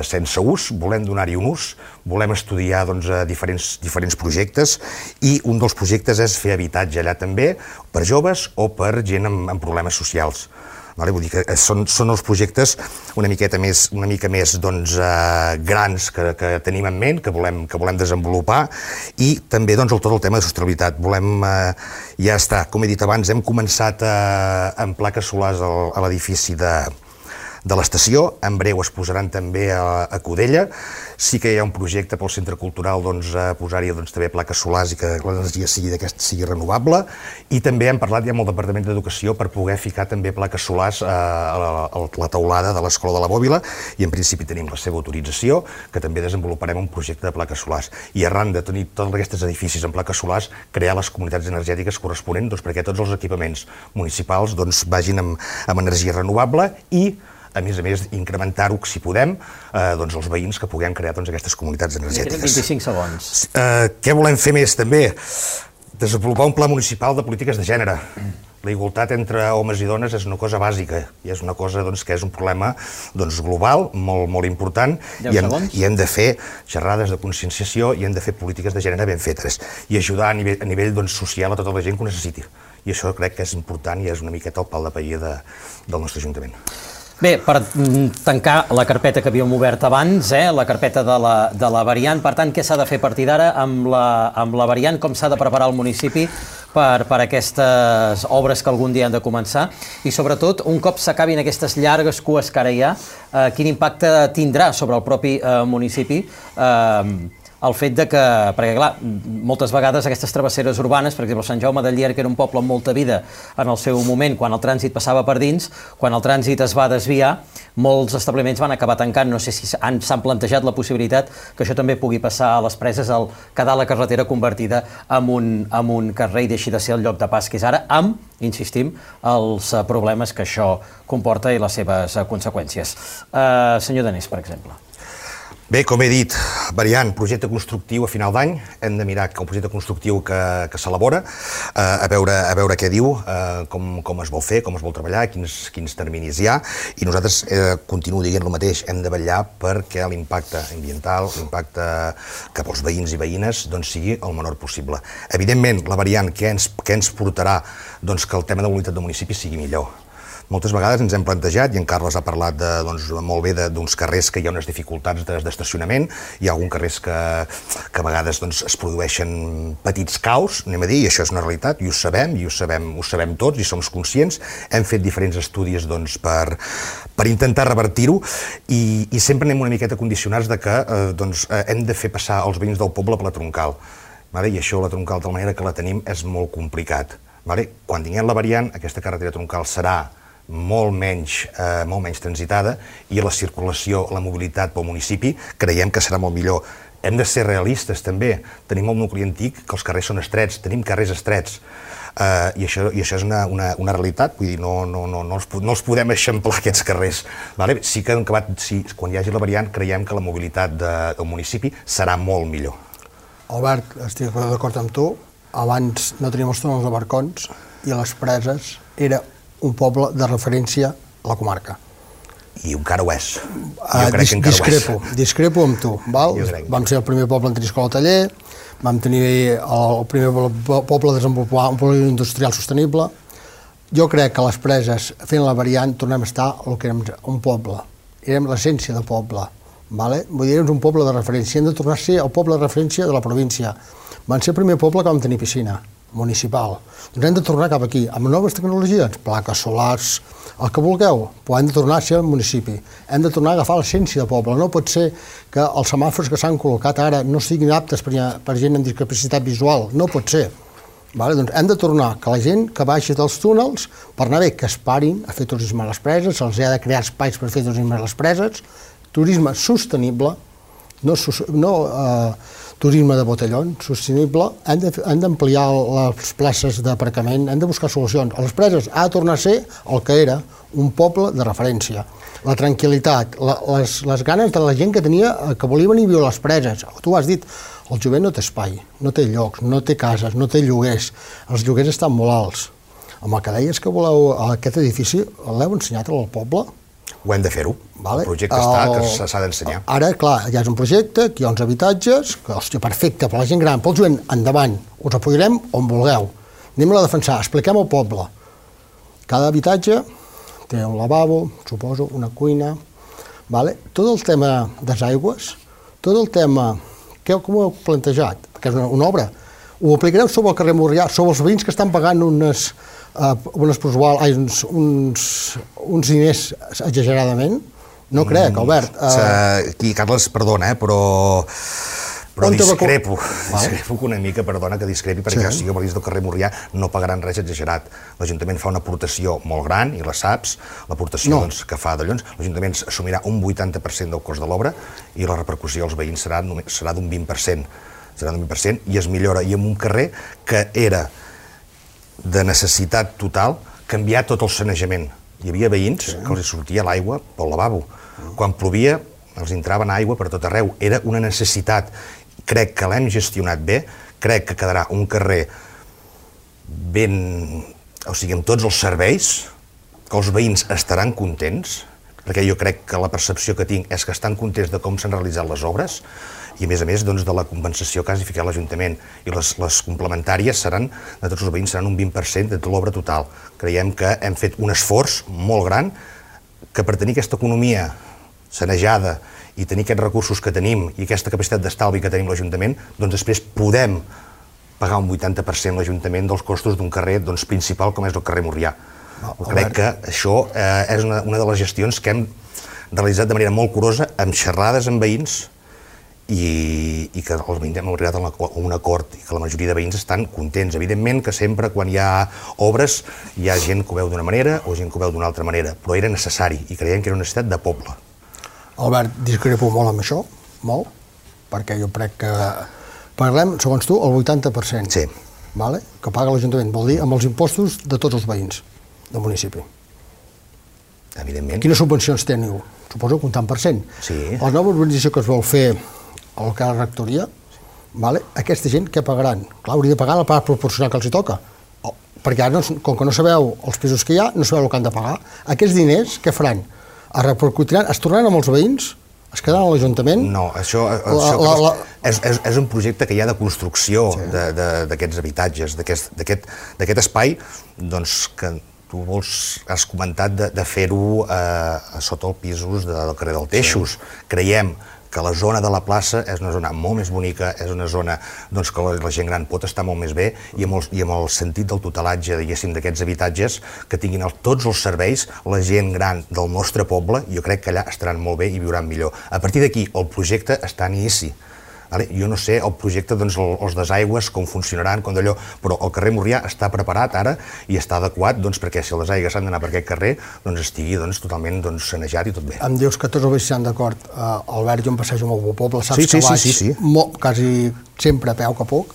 sense ús, volem donar-hi un ús, volem estudiar diferents projectes, i un dels projectes és fer habitatge allà també per joves o per gent amb problemes socials. Vull dir que són els projectes una mica més grans que tenim en ment, que volem desenvolupar, i també tot el tema de sostenibilitat. Ja està, com he dit abans, hem començat amb plaques solars a l'edifici de l'estació, en breu es posaran també a Codella. Sí que hi ha un projecte pel Centre Cultural posar-hi també plaques solars i que l'energia sigui renovable, i també hem parlat ja amb el Departament d'Educació per poder ficar també plaques solars a la teulada de l'Escola de la Bòbila, i en principi tenim la seva autorització, que també desenvoluparem un projecte de plaques solars. I arran de tenir tots aquests edificis amb plaques solars, crear les comunitats energètiques corresponents perquè tots els equipaments municipals vagin amb energia renovable, i a més, incrementar-ho, si podem, els veïns que puguem crear aquestes comunitats energètiques. Queden 25 segons. Què volem fer més, també? Desenvolupar un pla municipal de polítiques de gènere. La igualtat entre homes i dones és una cosa bàsica, i és una cosa que és un problema global, molt important, i hem de fer xerrades de conscienciació, i hem de fer polítiques de gènere ben fetes, i ajudar a nivell social a tota la gent que ho necessiti. I això crec que és important i és una miqueta el pal de paller del nostre Ajuntament. Bé, per tancar la carpeta que havíem obert abans, la carpeta de la variant, per tant, què s'ha de fer a partir d'ara amb la variant, com s'ha de preparar el municipi per aquestes obres que algun dia han de començar, i sobretot, un cop s'acabin aquestes llargues cues que ara hi ha, quin impacte tindrà sobre el propi municipi el fet de que, perquè clar, moltes vegades aquestes travesseres urbanes, per exemple, Sant Jaume de Llierca, que era un poble amb molta vida en el seu moment, quan el trànsit passava per dins, quan el trànsit es va desviar, molts establiments van acabar tancant. No sé si s'han plantejat la possibilitat que això també pugui passar a les preses, al quedar la carretera convertida en un carrer i deixi de ser el lloc de pas que és ara, amb, insistim, els problemes que això comporta i les seves conseqüències. Senyor Danés, per exemple. Bé, com he dit, variant, projecte constructiu a final d'any, hem de mirar el projecte constructiu que s'elabora, a veure què diu, com es vol fer, com es vol treballar, quins terminis hi ha, i nosaltres, continuo dient el mateix, hem de vetllar perquè l'impacte ambiental, l'impacte cap als veïns i veïnes, sigui el menor possible. Evidentment, la variant, què ens portarà que el tema de mobilitat del municipi sigui millor. moltes vegades ens hem plantejat, i en Carles ha parlat molt bé d'uns carrers que hi ha unes dificultats d'estacionament, hi ha alguns carrers que a vegades es produeixen petits caos, anem a dir, i això és una realitat, i ho sabem tots, i som conscients. Hem fet diferents estudis per intentar revertir-ho, i sempre anem una miqueta condicionats de que hem de fer passar els veïns del poble per la troncal. I això, la troncal, de la manera que la tenim, és molt complicat. Quan tinguem la variant, aquesta carretera troncal serà molt menys transitada i la circulació, la mobilitat pel municipi, creiem que serà molt millor. Hem de ser realistes, també. Tenim el nucli antic, que els carrers són estrets, tenim carrers estrets. I això és una realitat, vull dir, no els podem eixamplar, aquests carrers. Sí que quan hi hagi la variant, creiem que la mobilitat del municipi serà molt millor. Albert, estic d'acord amb tu. Abans no teníem els túnels de barcons i les Preses era un poble de referència a la comarca. I encara ho és. Jo crec que encara ho és. Discrepo amb tu. Vam ser el primer poble en tenir escola taller, vam tenir el primer poble a desenvolupar un polígon industrial sostenible. Jo crec que les Preses, fent la variant, tornem a estar el que érem un poble. Érem l'essència de poble. Vull dir, érem un poble de referència. Hem de tornar a ser el poble de referència de la província. Van ser el primer poble que vam tenir piscina municipal. Doncs hem de tornar cap aquí, amb noves tecnologies, plaques solars, el que vulgueu, però hem de tornar a ser el municipi. Hem de tornar a agafar l'essència del poble. No pot ser que els semàfors que s'han col·locat ara no siguin aptes per gent amb discapacitat visual. No pot ser. Doncs hem de tornar que la gent que baixi dels túnels, per anar bé, que es parin a fer turisme a les Preses, se'ls ha de crear espais per fer turisme a les Preses, turisme sostenible, no turisme de botellón, sostenible. Hem d'ampliar les places d'aparcament, hem de buscar solucions. A les Preses ha de tornar a ser el que era, un poble de referència. La tranquil·litat, les ganes de la gent que volia venir a viure a les Preses. Tu ho has dit, el jovent no té espai, no té llocs, no té cases, no té lloguers. Els lloguers estan molt alts. Amb el que deies que voleu aquest edifici, l'heu ensenyat al poble? Ho hem de fer-ho. El projecte està, que s'ha d'ensenyar. Ara, clar, ja és un projecte, aquí hi ha uns habitatges, que, hòstia, perfecte, per la gent gran, pel jovent, endavant, us apoyarem on vulgueu. Anem-la a defensar, expliquem al poble. Cada habitatge té un lavabo, suposo, una cuina. Tot el tema des aigües, tot el tema... Com ho heu plantejat? Perquè és una obra. Ho aplicareu sobre el carrer Morrià, sobre els veïns que estan pagant uns diners exageradament? No crec, Albert. Aquí, Carles, perdona, però discrepo una mica, perdona que discrepi, perquè si jo veïns del carrer Morrià no pagaran res exagerat. L'Ajuntament fa una aportació molt gran, i la saps, l'aportació que fa d'allò, l'Ajuntament assumirà un 80% del cost de l'obra i la repercussió als veïns serà d'un 20%. Serà d'un 20%, i es millora, i en un carrer que era de necessitat total, canviar tot el sanejament. Hi havia veïns que els sortia l'aigua pel lavabo. Quan plovia, els entraven aigua per tot arreu. Era una necessitat. Crec que l'hem gestionat bé, crec que quedarà un carrer amb tots els serveis, que els veïns estaran contents, perquè jo crec que la percepció que tinc és que estan contents de com s'han realitzat les obres, i a més de la compensació que ha ficat l'Ajuntament, i les complementàries de tots els veïns seran un 20% de l'obra total. Creiem que hem fet un esforç molt gran, que per tenir aquesta economia sanejada i tenir aquests recursos que tenim i aquesta capacitat d'estalvi que tenim l'Ajuntament, doncs després podem pagar un 80% l'Ajuntament dels costos d'un carrer principal com és el carrer Morrià. Crec que això és una de les gestions que hem realitzat de manera molt curosa, amb xerrades amb veïns, i que els veïns hem arribat a un acord i que la majoria de veïns estan contents. Evidentment que sempre quan hi ha obres hi ha gent que ho veu d'una manera o gent que ho veu d'una altra manera, però era necessari i creiem que era una necessitat de poble. Albert, discrepo molt amb això, molt, perquè jo crec que parlem, segons tu, el 80%. Sí. Que paga l'Ajuntament, vol dir amb els impostos de tots els veïns del municipi. Evidentment. Quines subvencions teniu? Suposo que un tant per cent. Sí. La nova urbanització que es vol fer al que és la rectoria, aquesta gent què pagaran? Clar, hauria de pagar la part proporcional que els hi toca. Perquè ara, com que no sabeu els pisos que hi ha, no sabeu el que han de pagar. Aquests diners, què faran? Es repercutiran? Es tornaran amb els veïns? Es quedaran a l'Ajuntament? No, això és un projecte que hi ha de construcció d'aquests habitatges, d'aquest espai, doncs que tu has comentat de fer-ho sota els pisos del carrer del Teixos. Creiem que la zona de la plaça és una zona molt més bonica, és una zona que la gent gran pot estar molt més bé i amb el sentit del tutelatge, diguéssim, d'aquests habitatges, que tinguin tots els serveis, la gent gran del nostre poble, jo crec que allà estaran molt bé i viuran millor. A partir d'aquí, el projecte està en inici. Jo no sé el projecte, els desaigües, com funcionaran, però el carrer Morrià està preparat ara i està adequat perquè si les aigües han d'anar per aquest carrer estigui totalment sanejat i tot bé. Em dius que tots els veïns estan d'acord. Albert, jo em passejo molt pel poble, saps que vaig quasi sempre a peu que puc.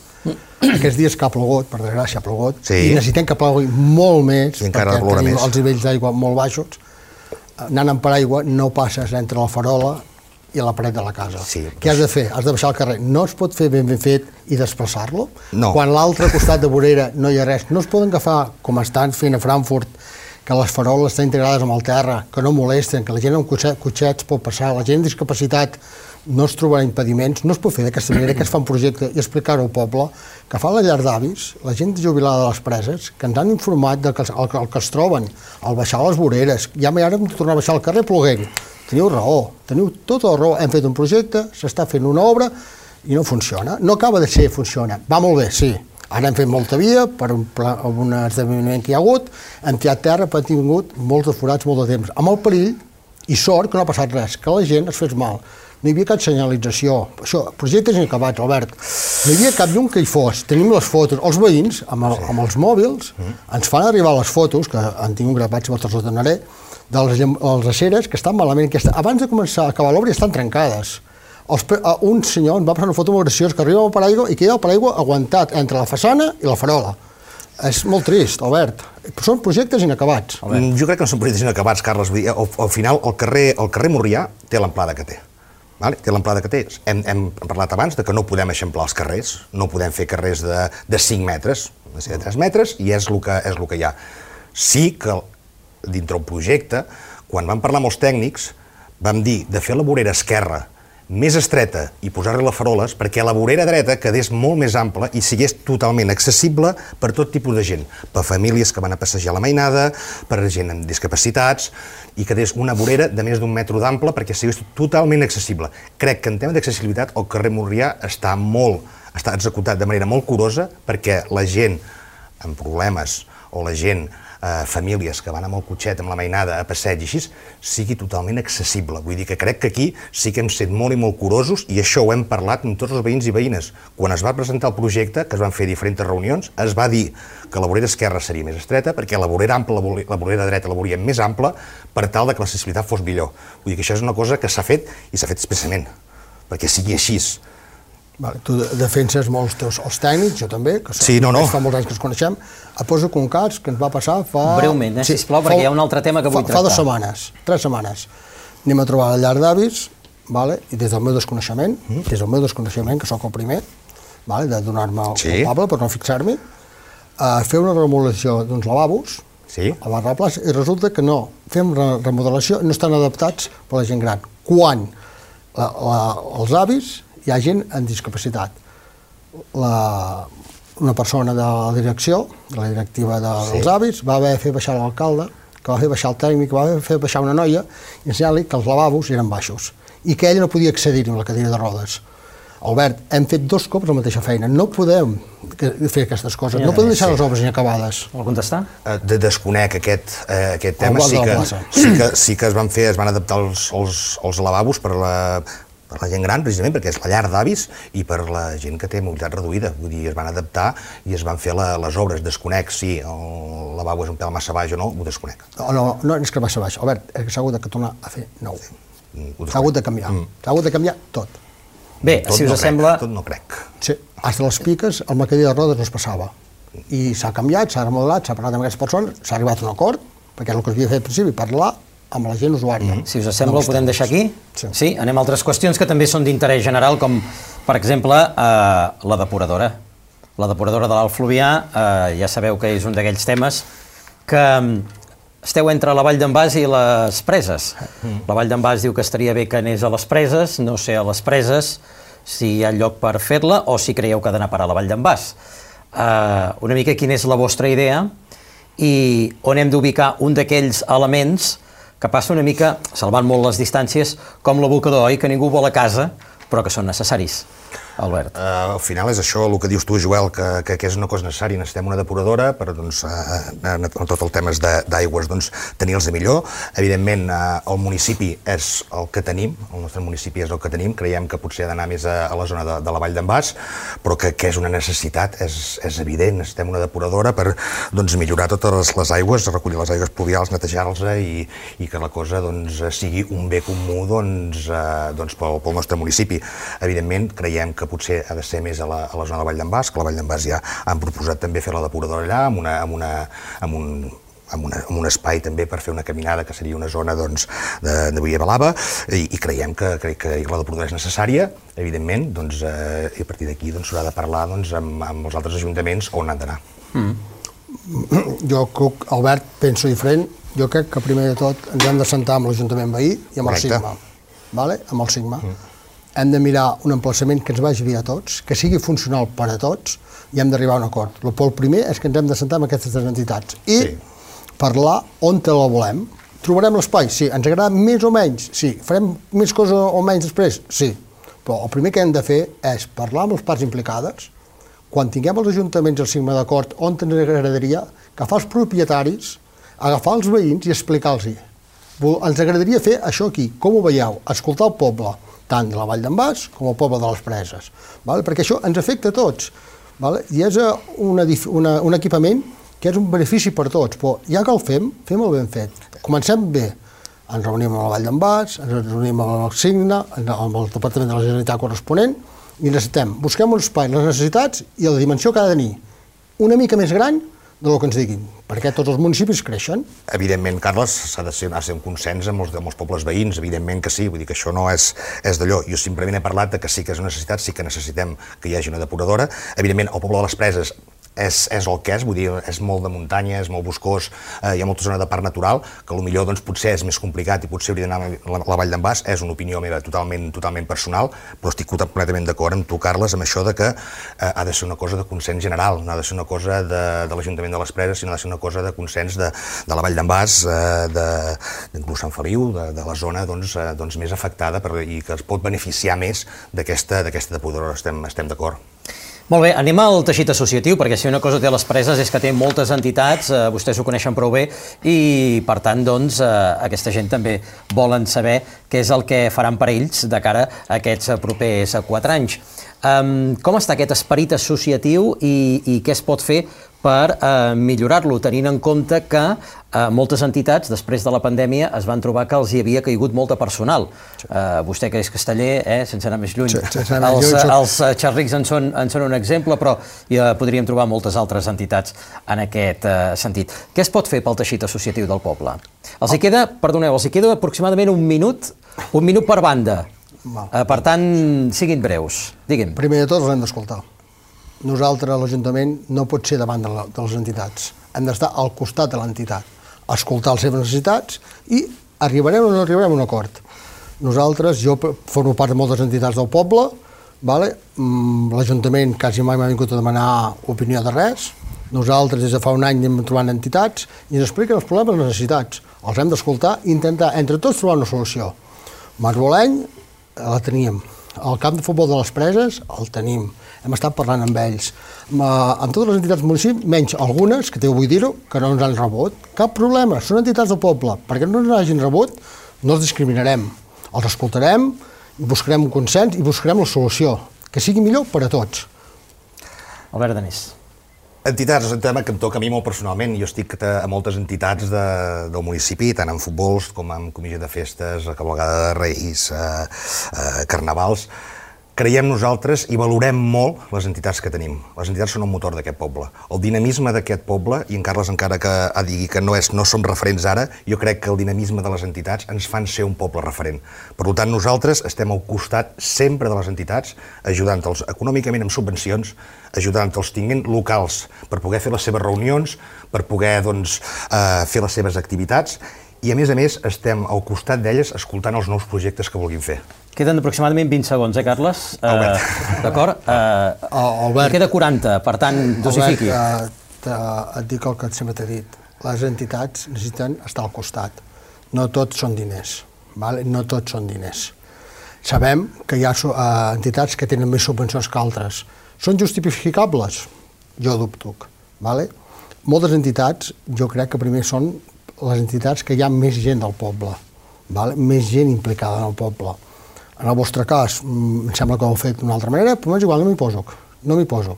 Aquests dies que ha plogut, per desgràcia ha plogut, i necessitem que plogui molt més perquè tenim els nivells d'aigua molt baixos. Anant amb paraigua no passes entre la farola i la paret de la casa. Què has de fer? Has de baixar el carrer. No es pot fer ben fet i desplaçar-lo? No. Quan a l'altre costat de vorera no hi ha res. No es poden agafar, com estan fent a Frankfurt, que les faroles estan integrades amb el terra, que no molesten, que la gent amb cotxets pot passar, la gent amb discapacitat no es trobarà impediments. No es pot fer d'aquesta manera, que es fa un projecte i explicar-ho al poble, que fa la llar d'avis, la gent jubilada de les preses, que ens han informat del que es troben al baixar les voreres. Ja ara hem de tornar a baixar al carrer ploguent. Teniu raó, teniu tota la raó. Hem fet un projecte, s'està fent una obra i no funciona. No acaba de ser, funciona. Va molt bé, sí. Ara hem fet molta via per un esdeveniment que hi ha hagut, hem tirat terra, però hem tingut molts de forats, molt de temps. Amb el perill i sort que no ha passat res, que la gent es fes mal. No hi havia cap senyalització. Això, projectes inacabats, Albert. No hi havia cap llum que hi fos. Tenim les fotos. Els veïns, amb els mòbils, ens fan arribar les fotos, que han tingut gravats, vosaltres les donaré, de les aceres que estan malament. Abans de començar a acabar l'obra estan trencades. Un senyor em va passar una foto molt graciosa que arriba al paraigua i queda el paraigua aguantat entre la façana i la farola. És molt trist, Albert. Són projectes inacabats. Jo crec que no són projectes inacabats, Carles. Al final, el carrer Morrià té l'amplada que té. Té l'amplada que té. Hem parlat abans que no podem eixamplar els carrers, no podem fer carrers de 5 metres, de 3 metres, i és el que hi ha. Sí que dintre el projecte, quan vam parlar amb els tècnics, vam dir de fer la vorera esquerra més estreta i posar-li les faroles perquè la vorera dreta quedés molt més ampla i sigués totalment accessible per tot tipus de gent, per famílies que van a passejar a la mainada, per gent amb discapacitats, i quedés una vorera de més d'1 metre d'ample perquè sigués totalment accessible. Crec que en tema d'accessibilitat el carrer Morrià està executat de manera molt curosa perquè la gent amb problemes o la gent famílies que van amb el cotxet, amb la mainada, a passeig i així, sigui totalment accessible. Vull dir que crec que aquí sí que hem estat molt i molt curosos i això ho hem parlat amb tots els veïns i veïnes. Quan es va presentar el projecte, que es van fer diferents reunions, es va dir que la vorera esquerra seria més estreta perquè la vorera ampla, la vorera dreta la volíem més ampla per tal que l'accessibilitat fos millor. Vull dir que això és una cosa que s'ha fet i s'ha fet expressament, perquè sigui així. Tu defenses molt els tècnics, jo també, que fa molts anys que ens coneixem. Et poso un cas que ens va passar fa... Breument, sisplau, perquè hi ha un altre tema que vull tractar. Fa 2 setmanes, 3 setmanes. Anem a trobar la llar d'avis, i des del meu desconeixement, que sóc el primer, de donar-me el culpable per no fixar-m'hi, fer una remodelació d'uns lavabos a Barra Plaça, i resulta que no, fem remodelació i no estan adaptats per la gent gran. Quan els avis hi ha gent amb discapacitat. Una persona de la direcció, de la directiva dels avis, va haver de fer baixar l'alcalde, que va fer baixar el tècnic, va haver de fer baixar una noia i ensenyar-li que els lavabos eren baixos i que ella no podia accedir-hi amb la cadira de rodes. Albert, hem fet 2 cops la mateixa feina. No podem fer aquestes coses. No podem deixar les obres inacabades. Vol contestar? Desconec aquest tema. Sí que es van adaptar els lavabos per la gent gran, precisament, perquè és la llar d'avis i per la gent que té mobilitat reduïda. Vull dir, es van adaptar i es van fer les obres. Desconec si el lavabo és un pèl massa baix o no, ho desconec. No és que massa baix. Albert, s'ha hagut de tornar a fer nou. S'ha hagut de canviar. S'ha hagut de canviar tot. Bé, si us sembla... Tot no crec. Sí, fins a les piques el cadira de rodes no es passava. I s'ha canviat, s'ha remodelat, s'ha parlat amb aquestes persones, s'ha arribat a un acord, perquè el que es havia fet al principi, parlar amb la gent usuària. Si us sembla, ho podem deixar aquí? Sí. Anem a altres qüestions que també són d'interès general, com, per exemple, la depuradora. La depuradora de l'Alt Fluvià, ja sabeu que és un d'aquells temes que esteu entre la Vall d'en Bas i les Preses. La Vall d'en Bas diu que estaria bé que anés a les Preses, no sé a les Preses si hi ha lloc per fer-la o si creieu que ha d'anar a parar a la Vall d'en Bas. Una mica quina és la vostra idea i on hem d'ubicar un d'aquells elements que passa una mica, salvant molt les distàncies, com l'abocador, oi? Que ningú vol a casa, però que són necessaris. Albert. Al final és això, el que dius tu, Joel, que és una cosa necessària. Necessitem una depuradora per, doncs, en tot el tema d'aigües, doncs, tenir-los de millor. Evidentment, el municipi és el que tenim, el nostre municipi és el que tenim. Creiem que potser ha d'anar més a la zona de la Vall d'en Bas, però que és una necessitat, és evident. Necessitem una depuradora per, doncs, millorar totes les aigües, recollir les aigües pluvials, netejar-les i que la cosa, doncs, sigui un bé comú, doncs, pel nostre municipi. Evidentment, creiem que potser ha de ser més a la zona de la Vall d'en Bas, que la Vall d'en Bas ja han proposat també fer la depuradora allà, amb un espai també per fer una caminada, que seria una zona, doncs, de via blava, i creiem que la depuradora és necessària, evidentment, doncs, i a partir d'aquí s'haurà de parlar, doncs, amb els altres ajuntaments on han d'anar. Jo, Albert, penso diferent. Jo crec que primer de tot ens hem de sentar amb l'Ajuntament veí i amb el Sigma. Amb el Sigma. Hem de mirar un emplaçament que ens vagi bé a tots, que sigui funcional per a tots, i hem d'arribar a un acord. El primer és que ens hem de sentar amb aquestes entitats i parlar on te la volem. Trobarem l'espai? Sí. Ens agrada més o menys? Sí. Farem més coses o menys després? Sí. Però el primer que hem de fer és parlar amb les parts implicades, quan tinguem els ajuntaments al Sigma d'acord, on ens agradaria agafar els propietaris, agafar els veïns i explicar-los. Ens agradaria fer això aquí. Com ho veieu? Escoltar el poble, tant de la Vall d'en Bas com el poble de les Preses, perquè això ens afecta a tots, i és un equipament que és un benefici per tots, però ja que el fem-ho ben fet. Comencem bé, ens reunim amb la Vall d'en Bas, ens reunim amb el Signa, amb el Departament de la Generalitat corresponent, i busquem un espai, les necessitats i la dimensió que ha de tenir, una mica més gran del que ens diguin, perquè tots els municipis creixen. Evidentment, Carles, ha de ser un consens amb els pobles veïns, evidentment que sí, vull dir que això no és d'allò. Jo simplement he parlat que sí que és una necessitat, sí que necessitem que hi hagi una depuradora. Evidentment, el poble de les Preses és el que és, vull dir, és molt de muntanya, és molt boscós, hi ha molta zona de parc natural, que potser doncs, potser és més complicat i potser hauria d'anar a la Vall d'en Bas, és una opinió meva totalment personal, però estic completament d'acord amb tu, Carles, amb això de que ha de ser una cosa de consens general, no ha de ser una cosa de l'Ajuntament de les Preses, sinó ha de ser una cosa de consens de la Vall d'en Bas, d'inclús Sant Feliu, de la zona doncs, més afectada i que es pot beneficiar més d'aquesta depuradora, estem d'acord. Molt bé, anem al teixit associatiu, perquè si una cosa té les Preses és que té moltes entitats, vostès ho coneixen prou bé, i per tant, doncs, aquesta gent també volen saber què és el que faran per ells de cara a aquests propers 4 anys. Com està aquest esperit associatiu i què es pot fer per millorar-lo, tenint en compte que moltes entitats, després de la pandèmia, es van trobar que els hi havia caigut molt de personal. Vostè, que és casteller, sense anar més lluny, els xerrics en són un exemple, però ja podríem trobar moltes altres entitats en aquest sentit. Què es pot fer pel teixit associatiu del poble? Els hi queda aproximadament un minut per banda. Per tant, siguin breus. Digui'm. Primer de tot, els hem d'escoltar. Nosaltres, l'Ajuntament, no pot ser davant de les entitats. Hem d'estar al costat de l'entitat, escoltar les seves necessitats i arribarem o no arribarem a un acord. Nosaltres, jo formo part de moltes entitats del poble, l'Ajuntament quasi mai m'ha vingut a demanar opinió de res. Nosaltres, des de fa un any, anem trobant entitats i ens expliquen els problemes i les necessitats. Els hem d'escoltar i intentar, entre tots, trobar una solució. Marboleny la teníem. El camp de futbol de les Preses el tenim. Hem estat parlant amb ells. Amb totes les entitats del municipi, menys algunes, que vull dir-ho, que no ens han rebut. Cap problema, són entitats del poble. Perquè no ens hagin rebut, no els discriminarem. Els escoltarem, buscarem un consens i buscarem la solució, que sigui millor per a tots. Albert Danés. Entitats, és un tema que em toca a mi molt personalment. Jo estic a moltes entitats del municipi, tant en futbols com en comissió de festes, cavalcada de Reis, carnavals. Creiem nosaltres i valorem molt les entitats que tenim. Les entitats són el motor d'aquest poble. El dinamisme d'aquest poble, i en Carles encara que digui que no som referents ara, jo crec que el dinamisme de les entitats ens fan ser un poble referent. Per tant, nosaltres estem al costat sempre de les entitats, ajudant-los econòmicament amb subvencions, ajudant que els tinguin locals per poder fer les seves reunions, per poder fer les seves activitats, i a més estem al costat d'elles escoltant els nous projectes que vulguin fer. Queden aproximadament 20 segons, Carles? D'acord? Albert. Queda 40, per tant, dosifiqui. Albert, et dic el que sempre t'he dit. les entitats necessiten estar al costat. No tots són diners, vale? No tots són diners. Sabem que hi ha entitats que tenen més subvencions que altres. Són justificables? Jo dubto. Vale? Moltes entitats, jo crec que primer són les entitats que hi ha més gent del poble, vale? Més gent implicada en el poble. En el vostre cas, em sembla que ho heu fet d'una altra manera, però és igual, no m'hi poso.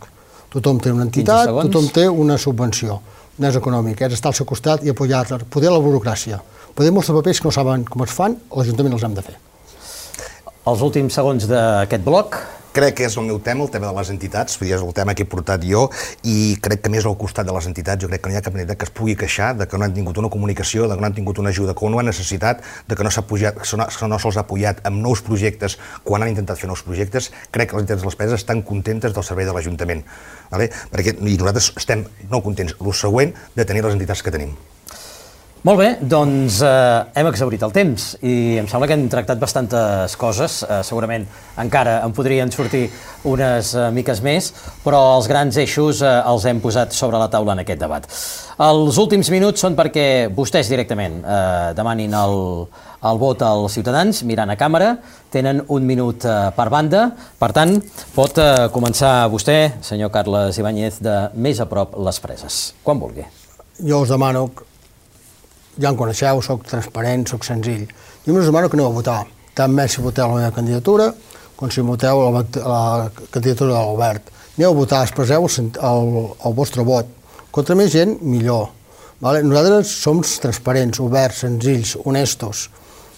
Tothom té una entitat, tothom té una subvenció. No és econòmic, és estar al seu costat i apoyar-la. Poder la burocràcia. Poder molts papers que no saben com es fan, l'Ajuntament els hem de fer. Els últims segons d'aquest bloc. Crec que és el meu tema, el tema de les entitats, és el tema que he portat jo, i crec que més al costat de les entitats, jo crec que no hi ha cap entitat que es pugui queixar de que no han tingut una comunicació, de que no han tingut una ajuda, que no han necessitat, de que no se'ls ha apoyat amb nous projectes quan han intentat fer nous projectes. Crec que les entitats de les preses estan contentes del servei de l'Ajuntament, perquè nosaltres estem no contents, el següent, de tenir les entitats que tenim. Molt bé, doncs hem exhaurit el temps i em sembla que hem tractat bastantes coses. Segurament encara en podrien sortir unes miques més, però els grans eixos els hem posat sobre la taula en aquest debat. Els últims minuts són perquè vostès directament demanin el vot als ciutadans mirant a càmera. Tenen un minut per banda. Per tant, pot començar vostè, senyor Carles Ibáñez, de més a prop les preses. Quan vulgui. Jo us demano, ja em coneixeu, soc transparent, soc senzill. Jo us demano que aneu a votar, també si voteu la meva candidatura com si voteu la candidatura de l'Albert. Aneu a votar, expresseu el vostre vot. Contra més gent, millor. Nosaltres som transparents, oberts, senzills, honestos.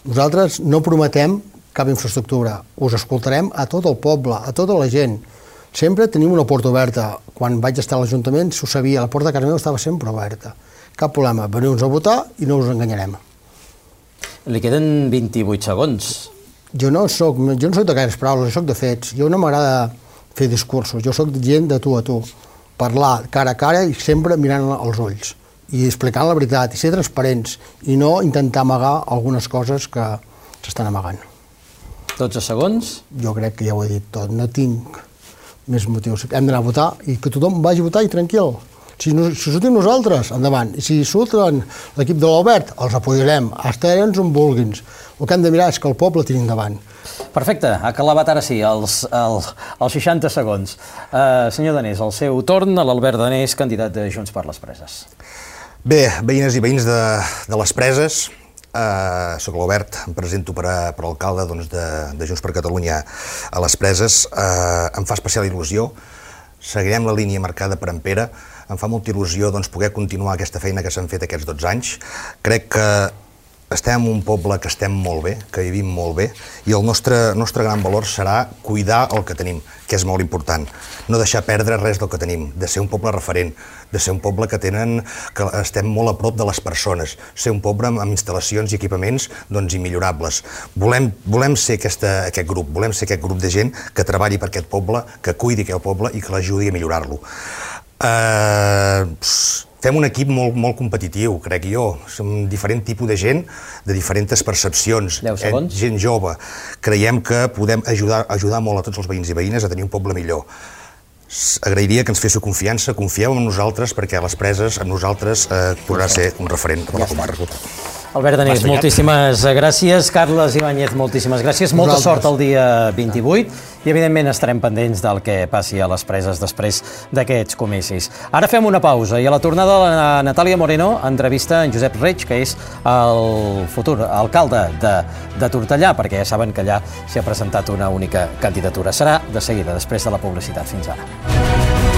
Nosaltres no prometem cap infraestructura. Us escoltarem a tot el poble, a tota la gent. Sempre tenim una porta oberta. Quan vaig estar a l'Ajuntament, s'ho sabia, la porta de casa meva estava sempre oberta. Cap problema, veniu-nos a votar i no us enganyarem. Li queden 28 segons. Jo no soc de gaires paraules, soc de fets. Jo no m'agrada fer discursos, jo soc gent de tu a tu. Parlar cara a cara i sempre mirant als ulls. I explicant la veritat, i ser transparents, i no intentar amagar algunes coses que s'estan amagant. 12 segons. Jo crec que ja ho he dit tot, no tinc més motius. Hem d'anar a votar i que tothom vagi a votar i tranquil. Si sortim nosaltres, endavant. I si surten l'equip de l'Albert, els apoyarem, estarem on vulguin. El que hem de mirar és que el poble tiri endavant. Perfecte, ha acabat ara sí, els 60 segons. Senyor Danés, el seu torn, a l'Albert Danés, candidat de Junts per les Preses. Bé, veïnes i veïns de les Preses, soc l'Albert, em presento per alcalde de Junts per Catalunya a les Preses. Em fa especial il·lusió, seguirem la línia marcada per en Pere. Em fa molta il·lusió poder continuar aquesta feina que s'han fet aquests 12 anys. Crec que estem en un poble que estem molt bé, que vivim molt bé, i el nostre gran valor serà cuidar el que tenim, que és molt important. No deixar perdre res del que tenim, de ser un poble referent, de ser un poble que estem molt a prop de les persones, ser un poble amb instal·lacions i equipaments immillorables. Volem ser aquest grup, volem ser aquest grup de gent que treballi per aquest poble, que cuidi aquest poble i que l'ajudi a millorar-lo. Fem un equip molt competitiu, crec jo. Som diferent tipus de gent, de diferents percepcions. 10 segons. Gent jove. Creiem que podem ajudar molt a tots els veïns i veïnes a tenir un poble millor. Agrairia que ens féssiu confiança, confieu en nosaltres, perquè a les Preses, amb nosaltres, podrà ser un referent per la comarca. Albert Danés, moltíssimes gràcies. Carles Ibáñez, moltíssimes gràcies. Molta sort el dia 28 i, evidentment, estarem pendents del que passi a les Preses després d'aquests comicis. Ara fem una pausa i a la tornada la Natàlia Moreno entrevista en Josep Reig, que és el futur alcalde de Tortellà, perquè ja saben que allà s'hi ha presentat una única candidatura. Serà de seguida, després de la publicitat. Fins ara.